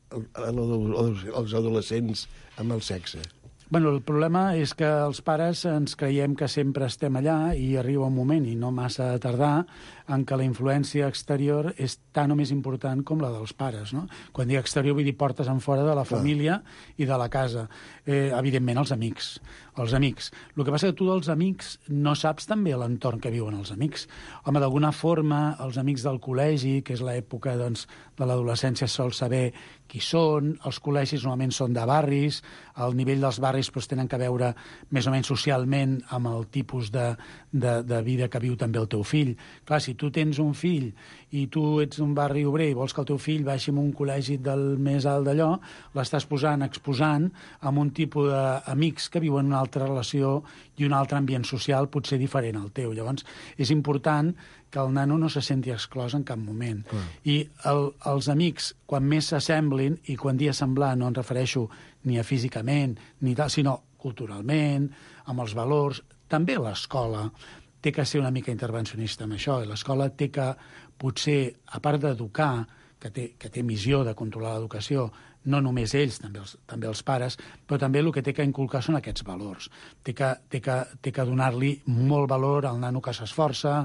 els adolescents amb el sexe? Bueno, el problema és que els pares ens creiem que sempre estem allà i arriba un moment, i no massa tardar, en què la influència exterior és tan o més important com la dels pares, no? Quan dic exterior vull dir portes en fora de la família i de la casa. Evidentment, els amics. El que passa és que tu dels amics no saps també l'entorn que viuen els amics. Home, d'alguna forma, els amics del col·legi, que és l'època doncs, de l'adolescència, sol saber qui són, els col·legis normalment són de barris, el nivell dels barris doncs, tenen que veure més o menys socialment amb el tipus de vida que viu també el teu fill. Clar, si tu tens un fill i tu ets un barri obrer i vols que el teu fill baixi en un col·legi del més alt d'allò, l'estàs exposant amb un tipus d'amics que viuen una altra relació i un altre ambient social potser diferent al teu. Llavors, és important que el nano no se senti exclòs en cap moment. I els amics, quan més s'assemblin, i quan dia semblar no em refereixo ni a físicament, ni tal, sinó culturalment, amb els valors, també l'escola té que ser una mica intervencionista amb això, i l'escola té que, potser, a part d'educar, que té missió de controlar l'educació, no només ells, també els pares, però també el que té que inculcar són aquests valors. Té que donar-li molt valor al nano que s'esforça,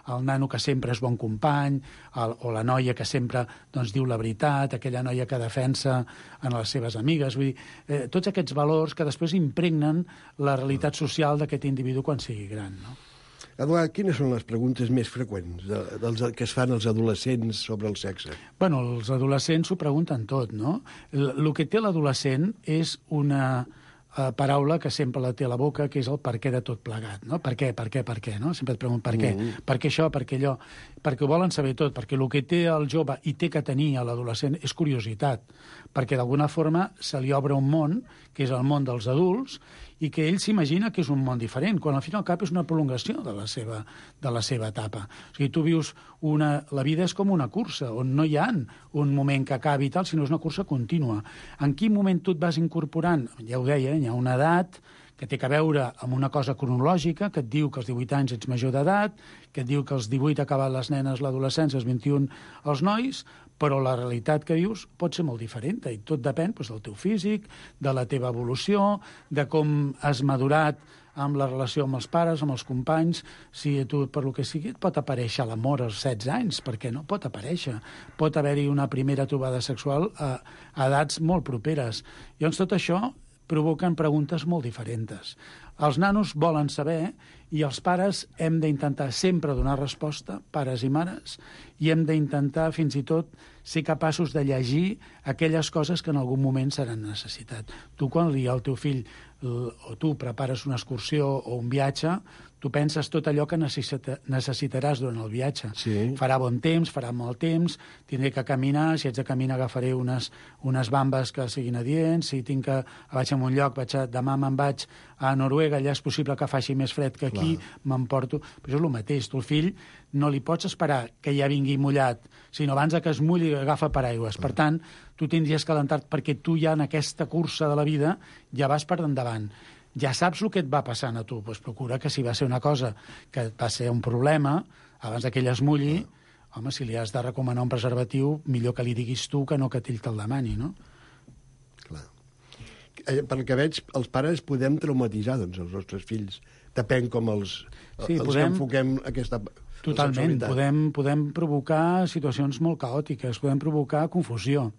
al nano que sempre és bon company, o la noia que sempre doncs, diu la veritat, aquella noia que defensa en les seves amigues. Vull dir, tots aquests valors que després impregnen la realitat social d'aquest individu quan sigui gran, no? Eduard, quines són les preguntes més freqüents que es fan els adolescents sobre el sexe? Bueno, els adolescents s'ho pregunten tot, no? El que té l'adolescent és una paraula que sempre la té a la boca, que és el per què de tot plegat, no? Per què, no? Sempre et pregunten per què. Per què això, per què allò? Perquè ho volen saber tot, perquè el que té el jove i té que tenir a l'adolescent és curiositat, perquè d'alguna forma se li obre un món, que és el món dels adults, i que ell s'imagina que és un món diferent, quan al fin i al cap és una prolongació de la seva etapa. O sigui, tu vius la vida és com una cursa, on no hi ha un moment que acabi i tal, sinó és una cursa contínua. En quin moment tu et vas incorporant? Ja ho deia, hi ha una edat que té a veure amb una cosa cronològica, que et diu que als 18 anys ets major d'edat, que et diu que als 18 acaben les nenes l'adolescència, als 21 els nois, però la realitat que vius pot ser molt diferent, i tot depèn doncs, del teu físic, de la teva evolució, de com has madurat amb la relació amb els pares, amb els companys. Si tu, per lo que sigui, et pot aparèixer l'amor als 16 anys, perquè no pot aparèixer. Pot haver-hi una primera trobada sexual a edats molt properes. Llavors, tot això provoquen preguntes molt diferents. Els nanos volen saber i els pares hem d'intentar sempre donar resposta, pares i mares, i hem d'intentar fins i tot ser capaços de llegir aquelles coses que en algun moment seran necessitat. Tu, quan al teu fill o tu prepares una excursió o un viatge, Tu penses tot allò que necessitaràs durant el viatge. Sí. Farà bon temps, farà mal temps, tindré que caminar, si haig de caminar agafaré unes bambes que siguin adients, si tinc que vaig a un lloc, demà me'n vaig a Noruega, allà és possible que faci més fred que aquí, m'emporto... Però això és el mateix, tu el fill no li pots esperar que ja vingui mullat, sinó abans que es mulli agafa paraigües. Per tant, tu tindries que alentar-te perquè tu ja en aquesta cursa de la vida ja vas per endavant. Ja saps el que et va passant a tu, doncs procura que si va ser una cosa que va ser un problema, abans que ell es mulli, home, si li has de recomanar un preservatiu, millor que li diguis tu que no que ell te'l demani, no? Clar. Pel que veig, els pares podem traumatitzar, doncs, els nostres fills. Depèn com els que enfoquem aquesta... Totalment. Podem provocar situacions molt caòtiques, podem provocar confusió.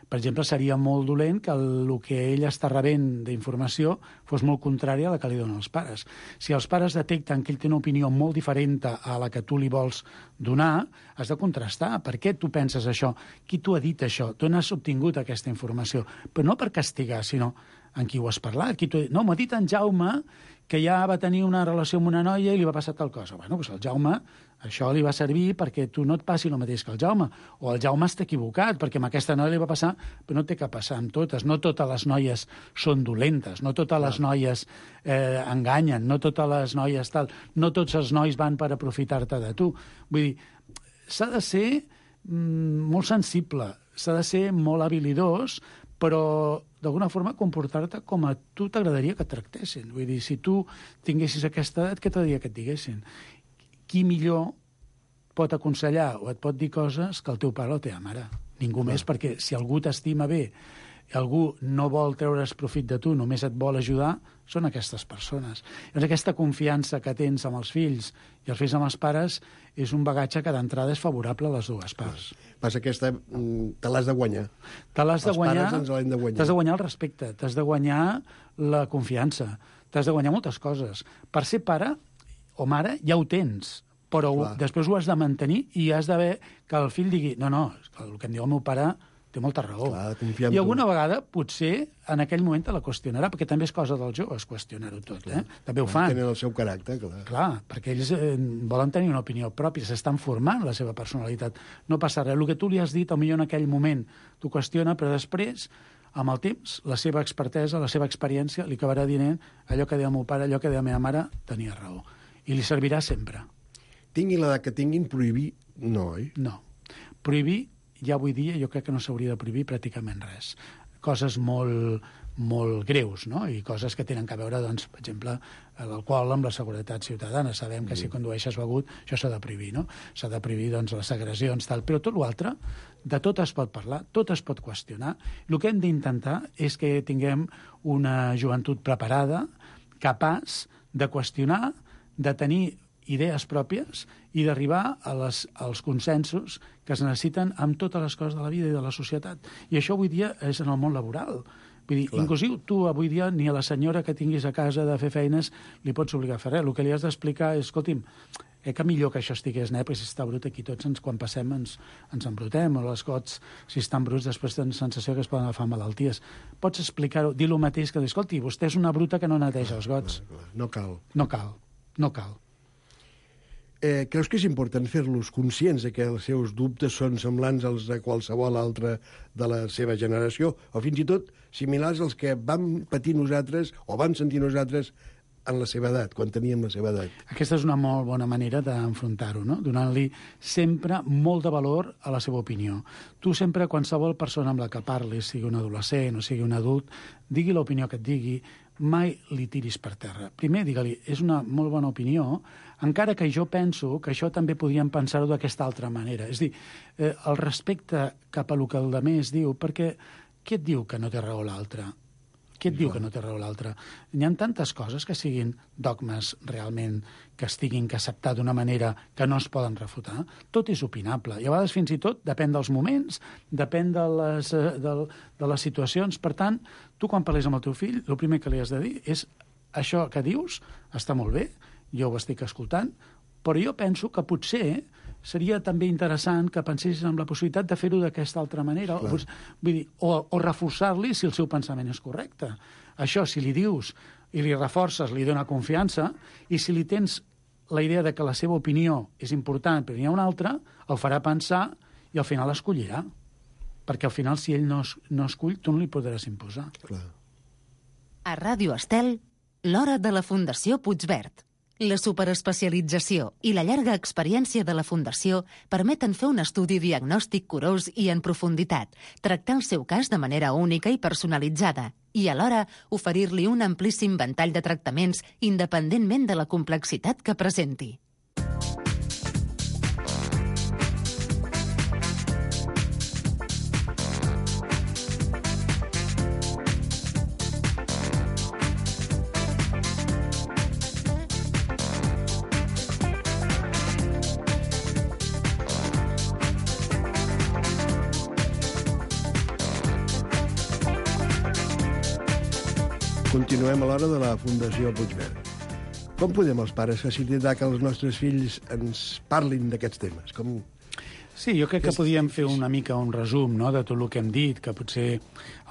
Per exemple, seria molt dolent que el que ell està rebent d'informació fos molt contrària a la que li donen els pares. Si els pares detecten que ell té una opinió molt diferent a la que tu li vols donar, has de contrastar. Per què tu penses això? Qui t'ho ha dit això? D'on has obtingut aquesta informació? Però no per castigar, sinó en qui ho has parlat. No, m'ha dit en Jaume que ja va tenir una relació amb una noia i li va passar tal cosa. Bueno, doncs el Jaume, això li va servir perquè tu no et passi el mateix que el Jaume. O el Jaume està equivocat, perquè amb aquesta noia li va passar, però no té que passar amb totes. No totes les noies són dolentes, no totes les noies enganyen, no totes les noies tal, no tots els nois van per aprofitar-te de tu. Vull dir, s'ha de ser molt sensible, s'ha de ser molt habilidós, però d'alguna forma comportar-te com a tu t'agradaria que et tractessin. Vull dir, si tu tinguessis aquesta edat, què t'agradaria que et diguessin? Qui millor pot aconsellar o et pot dir coses que el teu pare o la teva mare? Ningú més, perquè si algú t'estima bé i algú no vol treure's profit de tu, només et vol ajudar, són aquestes persones. Llavors, aquesta confiança que tens amb els fills i els fills amb els pares és un bagatge que d'entrada és favorable a les dues parts. Passa que te l'has de guanyar. Te l'has de guanyar. Els pares ens l'hem de guanyar. T'has de guanyar el respecte, t'has de guanyar la confiança, t'has de guanyar moltes coses. Per ser pare o mare ja ho tens, però després ho has de mantenir i has d'haver que el fill digui no, el que em diu el meu pare té molta raó. Clar, I alguna vegada, potser, en aquell moment te la qüestionarà, perquè també és cosa dels joves qüestionar-ho tot, També ho fan. Tenen el seu caràcter, clar. Clar, perquè ells volen tenir una opinió pròpia, s'estan formant la seva personalitat. No passa res. El que tu li has dit, potser en aquell moment t'ho qüestiona, però després, amb el temps, la seva expertesa, la seva experiència, li acabarà dient allò que deia el meu pare, allò que deia la meva mare, tenia raó. I li servirà sempre. Tingui l'edat que tinguin, prohibir no, oi? No. Prohibir, ja avui dia, jo crec que no s'hauria de prohibir pràcticament res. Coses molt greus, no? I coses que tenen a veure, doncs, per exemple, l'alcohol amb la seguretat ciutadana. Sabem que si condueixes begut, això s'ha de prohibir, no? S'ha de prohibir, doncs, les agressions, tal. Però tot l'altre, de tot es pot parlar, tot es pot qüestionar. El que hem d'intentar és que tinguem una joventut preparada, capaç de qüestionar, de tenir idees pròpies i d'arribar als consensos que es necessiten amb totes les coses de la vida i de la societat. I això avui dia és en el món laboral. Vull dir, inclusiu tu avui dia ni a la senyora que tinguis a casa de fer feines li pots obligar a fer res. El que li has d'explicar és, escolti'm, que millor que això estigués net, perquè si està brut aquí tots quan passem ens embrutem, o les gots, si estan bruts, després tenen sensació que es poden agafar malalties. Pots explicar-ho, dir el mateix que dir, escolti, vostè és una bruta que no neteja els gots. No cal. No cal. Creus que és important fer-los conscients que els seus dubtes són semblants als de qualsevol altre de la seva generació, o fins i tot similars als que vam patir nosaltres o vam sentir nosaltres en la seva edat, quan teníem la seva edat? Aquesta és una molt bona manera d'enfrontar-ho, no? Donant-li sempre molt de valor a la seva opinió. Tu sempre, qualsevol persona amb la que parlis, sigui un adolescent o sigui un adult, digui l'opinió que et digui, mai li tiris per terra. Primer, digue-li, és una molt bona opinió, encara que jo penso que això també podríem pensar-ho d'aquesta altra manera. És a dir, el respecte cap a el que el demés diu, perquè què et diu que no té raó l'altre? Què et diu que no té raó l'altre? Hi ha tantes coses que siguin dogmes realment que es tinguin que acceptar d'una manera que no es poden refutar. Tot és opinable. I a vegades fins i tot depèn dels moments, depèn de les situacions. Per tant, tu quan parles amb el teu fill, el primer que li has de dir és això que dius està molt bé, jo ho estic escoltant, però jo penso que potser seria també interessant que pensessis en la possibilitat de fer-ho d'aquesta altra manera, vull dir, o reforçar-li si el seu pensament és correcte. Això, si li dius i li reforces, li dona confiança, i si li tens la idea de que la seva opinió és important, però n'hi ha una altra, el farà pensar i al final escollirà. Perquè al final, si ell no escull, tu no li podràs imposar. Clar. A Ràdio Estel, l'hora de la Fundació Puigverd. La superespecialització i la llarga experiència de la Fundació permeten fer un estudi diagnòstic curós i en profunditat, tractar el seu cas de manera única i personalitzada i, alhora, oferir-li un amplíssim ventall de tractaments independentment de la complexitat que presenti. Continuem a l'hora de la Fundació Puigverd. Com podem els pares facilitar que els nostres fills ens parlin d'aquests temes? Sí, jo crec que podíem fer una mica un resum, no?, de tot el que hem dit, que potser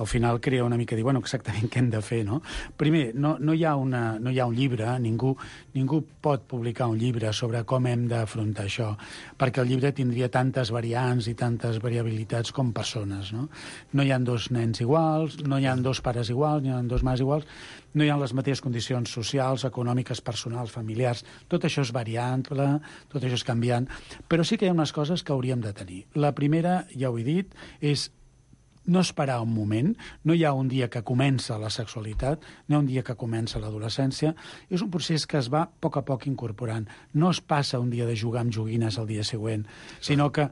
al final crea una mica dir, bueno, exactament què hem de fer, no? Primer, no hi ha un llibre, ningú pot publicar un llibre sobre com hem d'afrontar això, perquè el llibre tindria tantes variants i tantes variabilitats com persones, no? No hi ha dos nens iguals, no hi ha dos pares iguals, no hi ha dos mares iguals, no hi ha les mateixes condicions socials, econòmiques, personals, familiars. Tot això és variable, tot això és canviant, però sí que hi ha unes coses que hauríem de tenir. La primera, ja ho he dit, és no esperar un moment. No hi ha un dia que comença la sexualitat, no hi ha un dia que comença l'adolescència. És un procés que es va a poc incorporant. No es passa un dia de jugar amb joguines el dia següent, sinó que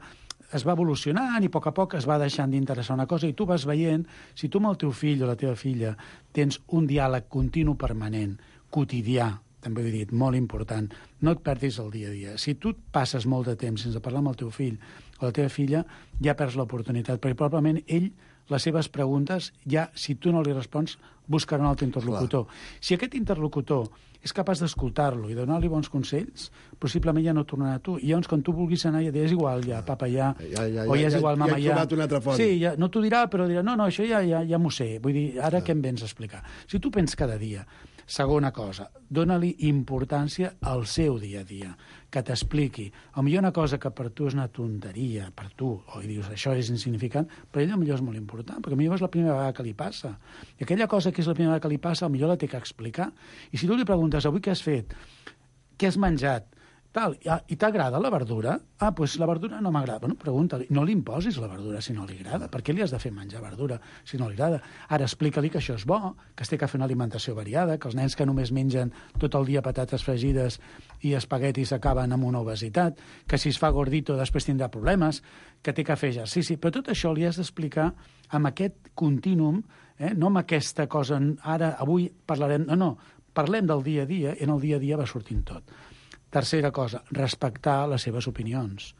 es va evolucionant i a poc es va deixant d'interessar una cosa i tu vas veient, si tu amb el teu fill o la teva filla tens un diàleg continu permanent, quotidià, també ho he dit, molt important, no et perdis el dia a dia. Si tu passes molt de temps sense parlar amb el teu fill o la teva filla, ja perds l'oportunitat, perquè probablement ell, les seves preguntes, ja, si tu no li respons, buscarà un altre interlocutor. Si aquest interlocutor és capaç d'escoltar-lo i donar-li bons consells, possiblement ja no tornarà a tu. I llavors, quan tu vulguis anar, ja és igual, ja, papa, ja, o ja és igual, mama, ja. Ja he trobat una altra font. Sí, ja, no t'ho dirà, però dirà, no, això ja m'ho sé. Vull dir, ara què em vens a explicar? Si tu penses cada dia, segona cosa, dóna-li importància al seu dia a dia, que t'expliqui. Potser una cosa que per tu és una tonteria, per tu, o dius, això és insignificant, per ell potser és molt important, perquè potser és la primera vegada que li passa. I aquella cosa que és la primera vegada que li passa, potser la té que explicar. I si tu li preguntes, avui què has fet? Què has menjat? Tal, i t'agrada la verdura? Doncs la verdura no m'agrada. Bueno, pregunta-li. No li imposis la verdura si no li agrada. Per què li has de fer menjar verdura si no li agrada? Ara explica-li que això és bo, que es té que fer una alimentació variada, que els nens que només mengen tot el dia patates fregides i espaguetis acaben amb una obesitat, que si es fa gordito després tindrà problemes, que té que fer exercici. Però tot això li has d'explicar amb aquest contínuum, no amb aquesta cosa, ara, avui parlarem... No, parlem del dia a dia, i en el dia a dia va sortint tot. Tercera cosa, respectar les seves opinions.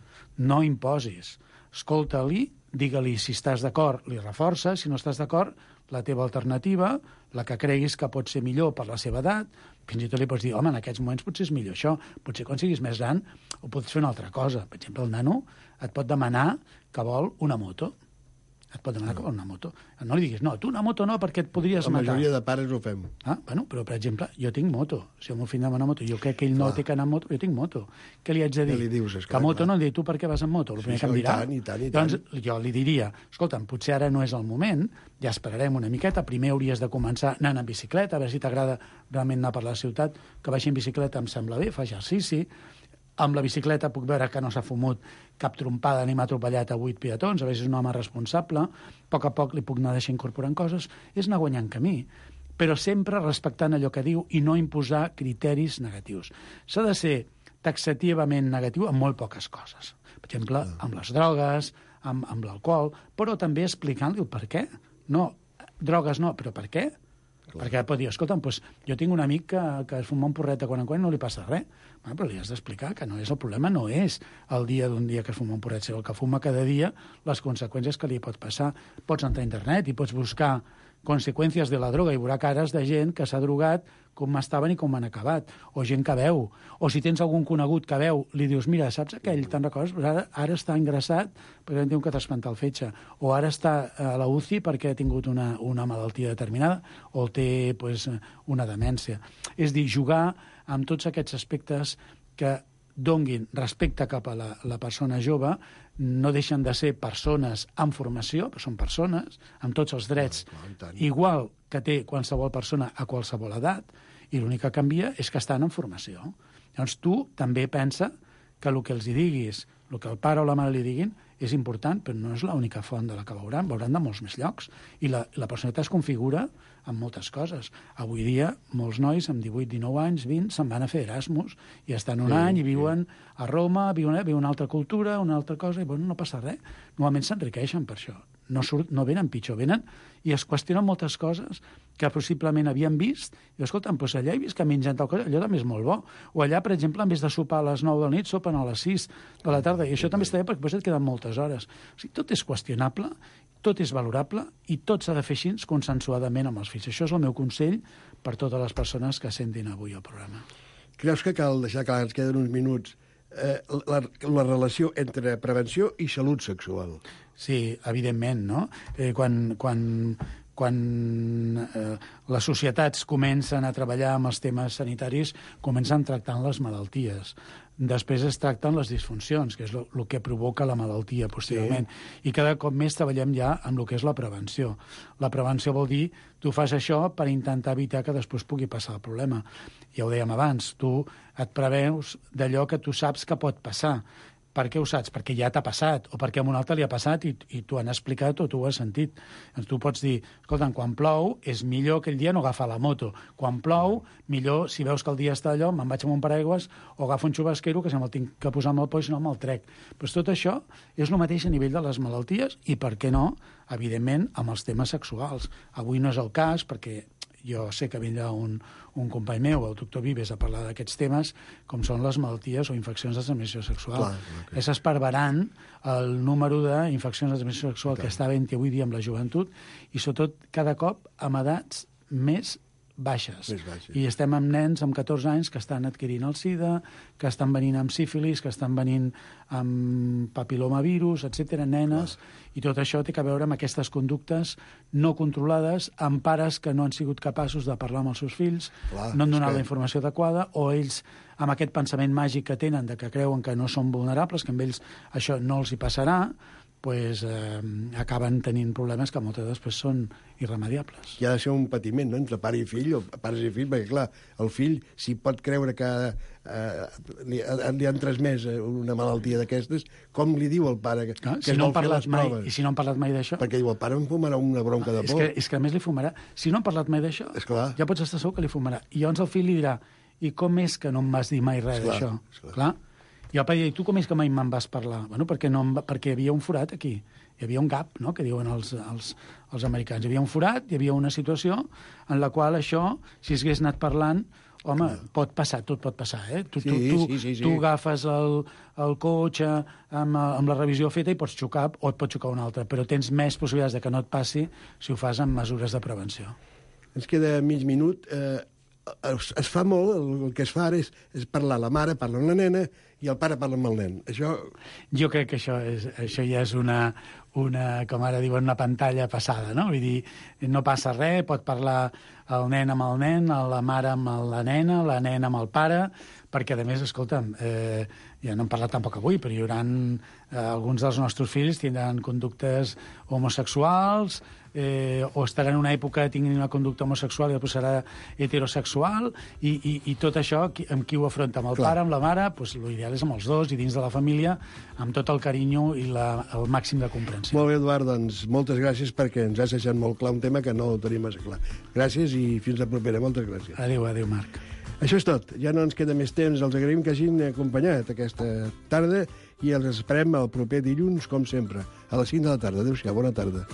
No imposis. Escolta-li, digue-li si estàs d'acord, li reforces, si no estàs d'acord, la teva alternativa, la que creguis que pot ser millor per la seva edat, fins i tot li pots dir, home, en aquests moments potser és millor això, potser quan siguis més gran ho pots fer una altra cosa. Per exemple, el nano et pot demanar que vol una moto. Et pot demanar que vol una moto. No li diguis, no, tu una moto no, perquè et podries matar. La majoria de pares ho fem. Bueno, però, per exemple, jo tinc moto. Si el meu fill demana moto, jo crec que ell no té que anar amb moto, jo tinc moto. Què li haig de dir? Què li dius? Que moto no, li dic, tu per què vas amb moto? El primer que em dirà. I tant. Doncs jo li diria, escolta'm, potser ara no és el moment, ja esperarem una miqueta, primer hauries de començar anant en bicicleta, a veure si t'agrada realment anar per la ciutat, que vagi en bicicleta em sembla bé, fa exercici. Amb la bicicleta puc veure que no s'ha fumut cap trompada ni m'ha atropellat a 8 peatons, a vegades és un home responsable, a poc li puc anar deixant incorporant coses, és anar guanyant camí, però sempre respectant allò que diu i no imposar criteris negatius. S'ha de ser taxativament negatiu en molt poques coses. Per exemple, amb les drogues, amb l'alcohol, però també explicant-li el per què. No, drogues no, però per què? Perquè pot dir, escolta'm, jo tinc un amic que es fuma un porret de quan en quan i no li passa res. Però li has d'explicar que no és el problema, no és el dia d'un dia que es fuma un porret, sinó el que fuma cada dia, les conseqüències que li pot passar. Pots entrar a internet i pots buscar conseqüències de la droga i veurà cares de gent que s'ha drogat com estaven i com han acabat, o gent que veu, o si tens algun conegut que veu, li dius, mira, saps aquell, te'n recordes? Ara està ingressat perquè té un catasmental fetge, o ara està a la UCI perquè ha tingut una malaltia determinada, o té pues, una demència. És dir, jugar amb tots aquests aspectes que donguin respecte cap a la persona jove, no deixen de ser persones amb formació, però són persones, amb tots els drets, igual que té qualsevol persona a qualsevol edat, i l'únic que canvia és que estan en formació. Llavors tu també pensa que el que els hi diguis, el que el pare o la mare li diguin, és important, però no és l'única font de la que veuran de molts més llocs. I la personalitat es configura amb moltes coses. Avui dia, molts nois amb 18, 19 anys, 20, se'n van a fer Erasmus i estan un any i viuen a Roma, viuen una altra cultura, una altra cosa, i bueno, no passa res. Normalment s'enriqueixen per això. No venen pitjor, venen i es qüestionen moltes coses que possiblement havien vist, i escolta'm, doncs allà he vist que mengen tal cosa, allò també és molt bo. O allà, per exemple, en vez de sopar a les 9 de la nit, sopen a les 6 de la tarda, i això també està bé perquè et queden moltes hores. O sigui, tot és qüestionable, tot és valorable, i tot s'ha de fer així consensuadament amb els fills. Això és el meu consell per totes les persones que sentin avui el programa. Creus que cal deixar clar, ens queden uns minuts, la relació entre prevenció i salut sexual? Sí, evidentment, no? Quan les societats comencen a treballar amb els temes sanitaris, comencen tractant les malalties. Després es tracten les disfuncions, que és el que provoca la malaltia posteriorment. Sí. I cada cop més treballem ja amb el que és la prevenció. La prevenció vol dir, tu fas això per intentar evitar que després pugui passar el problema. Ja ho dèiem abans, tu et preveus d'allò que tu saps que pot passar. Per què ho saps? Perquè ja t'ha passat, o perquè a un altre li ha passat i t'ho han explicat o tu ho has sentit. Doncs tu pots dir, escolta, quan plou és millor aquell dia no agafar la moto. Quan plou, millor, si veus que el dia està allò, me'n vaig amb un paraigües o agafo un xubasquero que si me'l tinc que posar amb el poll, si no me'l trec. Però tot això és el mateix a nivell de les malalties i, per què no, evidentment, amb els temes sexuals. Avui no és el cas, perquè jo sé que vindrà un company meu, el doctor Vives, a parlar d'aquests temes, com són les malalties o infeccions de transmissió sexual. És esparverant el número d'infeccions de transmissió sexual que està havent avui dia amb la joventut i, sobretot, cada cop amb edats més baixes. I estem amb nens amb 14 anys que estan adquirint el SIDA, que estan venint amb sífilis, que estan venint amb papilomavirus, etc., nenes, i tot això té a veure amb aquestes conductes no controlades, amb pares que no han sigut capaços de parlar amb els seus fills, no han donat la informació adequada, o ells, amb aquest pensament màgic que tenen, de que creuen que no són vulnerables, que amb ells això no els hi passarà, pues, acaben tenint problemes que moltes després són irremediables. Hi ha de ser un patiment, no?, entre pare i fill, o pares i fill, perquè, clar, el fill, si pot creure que li han transmès una malaltia d'aquestes, com li diu el pare que si no han parlat mai, i si no han parlat mai d'això? Perquè diu, el pare em fumarà una bronca de por. És que a més li fumarà. Si no han parlat mai d'això, ja pots estar segur que li fumarà. I llavors el fill li dirà, i com és que no em vas dir mai res d'això? Clar. I el pare diu, tu com és que mai me'n vas parlar? Bueno, perquè hi havia un forat aquí. Hi havia un gap, no?, que diuen els americans. Hi havia un forat, hi havia una situació en la qual això, si s'hagués anat parlant, home, pot passar, tot pot passar, eh? Tu agafes el cotxe amb la revisió feta i pots xocar, o et pot xocar un altre, però tens més possibilitats de que no et passi si ho fas amb mesures de prevenció. Ens queda mig minut. Es fa molt, el que es fa ara és parlar, la mare parla amb la nena i el pare parla amb el nen. Jo crec que això ja és una, com ara diuen, una pantalla passada, no? Vull dir, no passa res, pot parlar el nen amb el nen, la mare amb la nena amb el pare, perquè, a més, escolta'm, ja no hem parlat tampoc avui, però hi haurà alguns dels nostres fills tindran conductes homosexuals, o estaran en una època tinguin una conducta homosexual i després serà heterosexual, i tot això amb qui ho afronta? Amb el pare, amb la mare? Doncs l'ideal és amb els dos i dins de la família, amb tot el carinyo i el màxim de comprensió. Molt bé, Eduard, doncs moltes gràcies perquè ens has deixat molt clar un tema que no ho tenim massa clar. Gràcies i fins la propera. Moltes gràcies. Adéu, Marc. Això és tot. Ja no ens queda més temps. Els agraïm que hagin acompanyat aquesta tarda i els esperem el proper dilluns, com sempre, a les 5 de la tarda. Adéu-siau, bona tarda.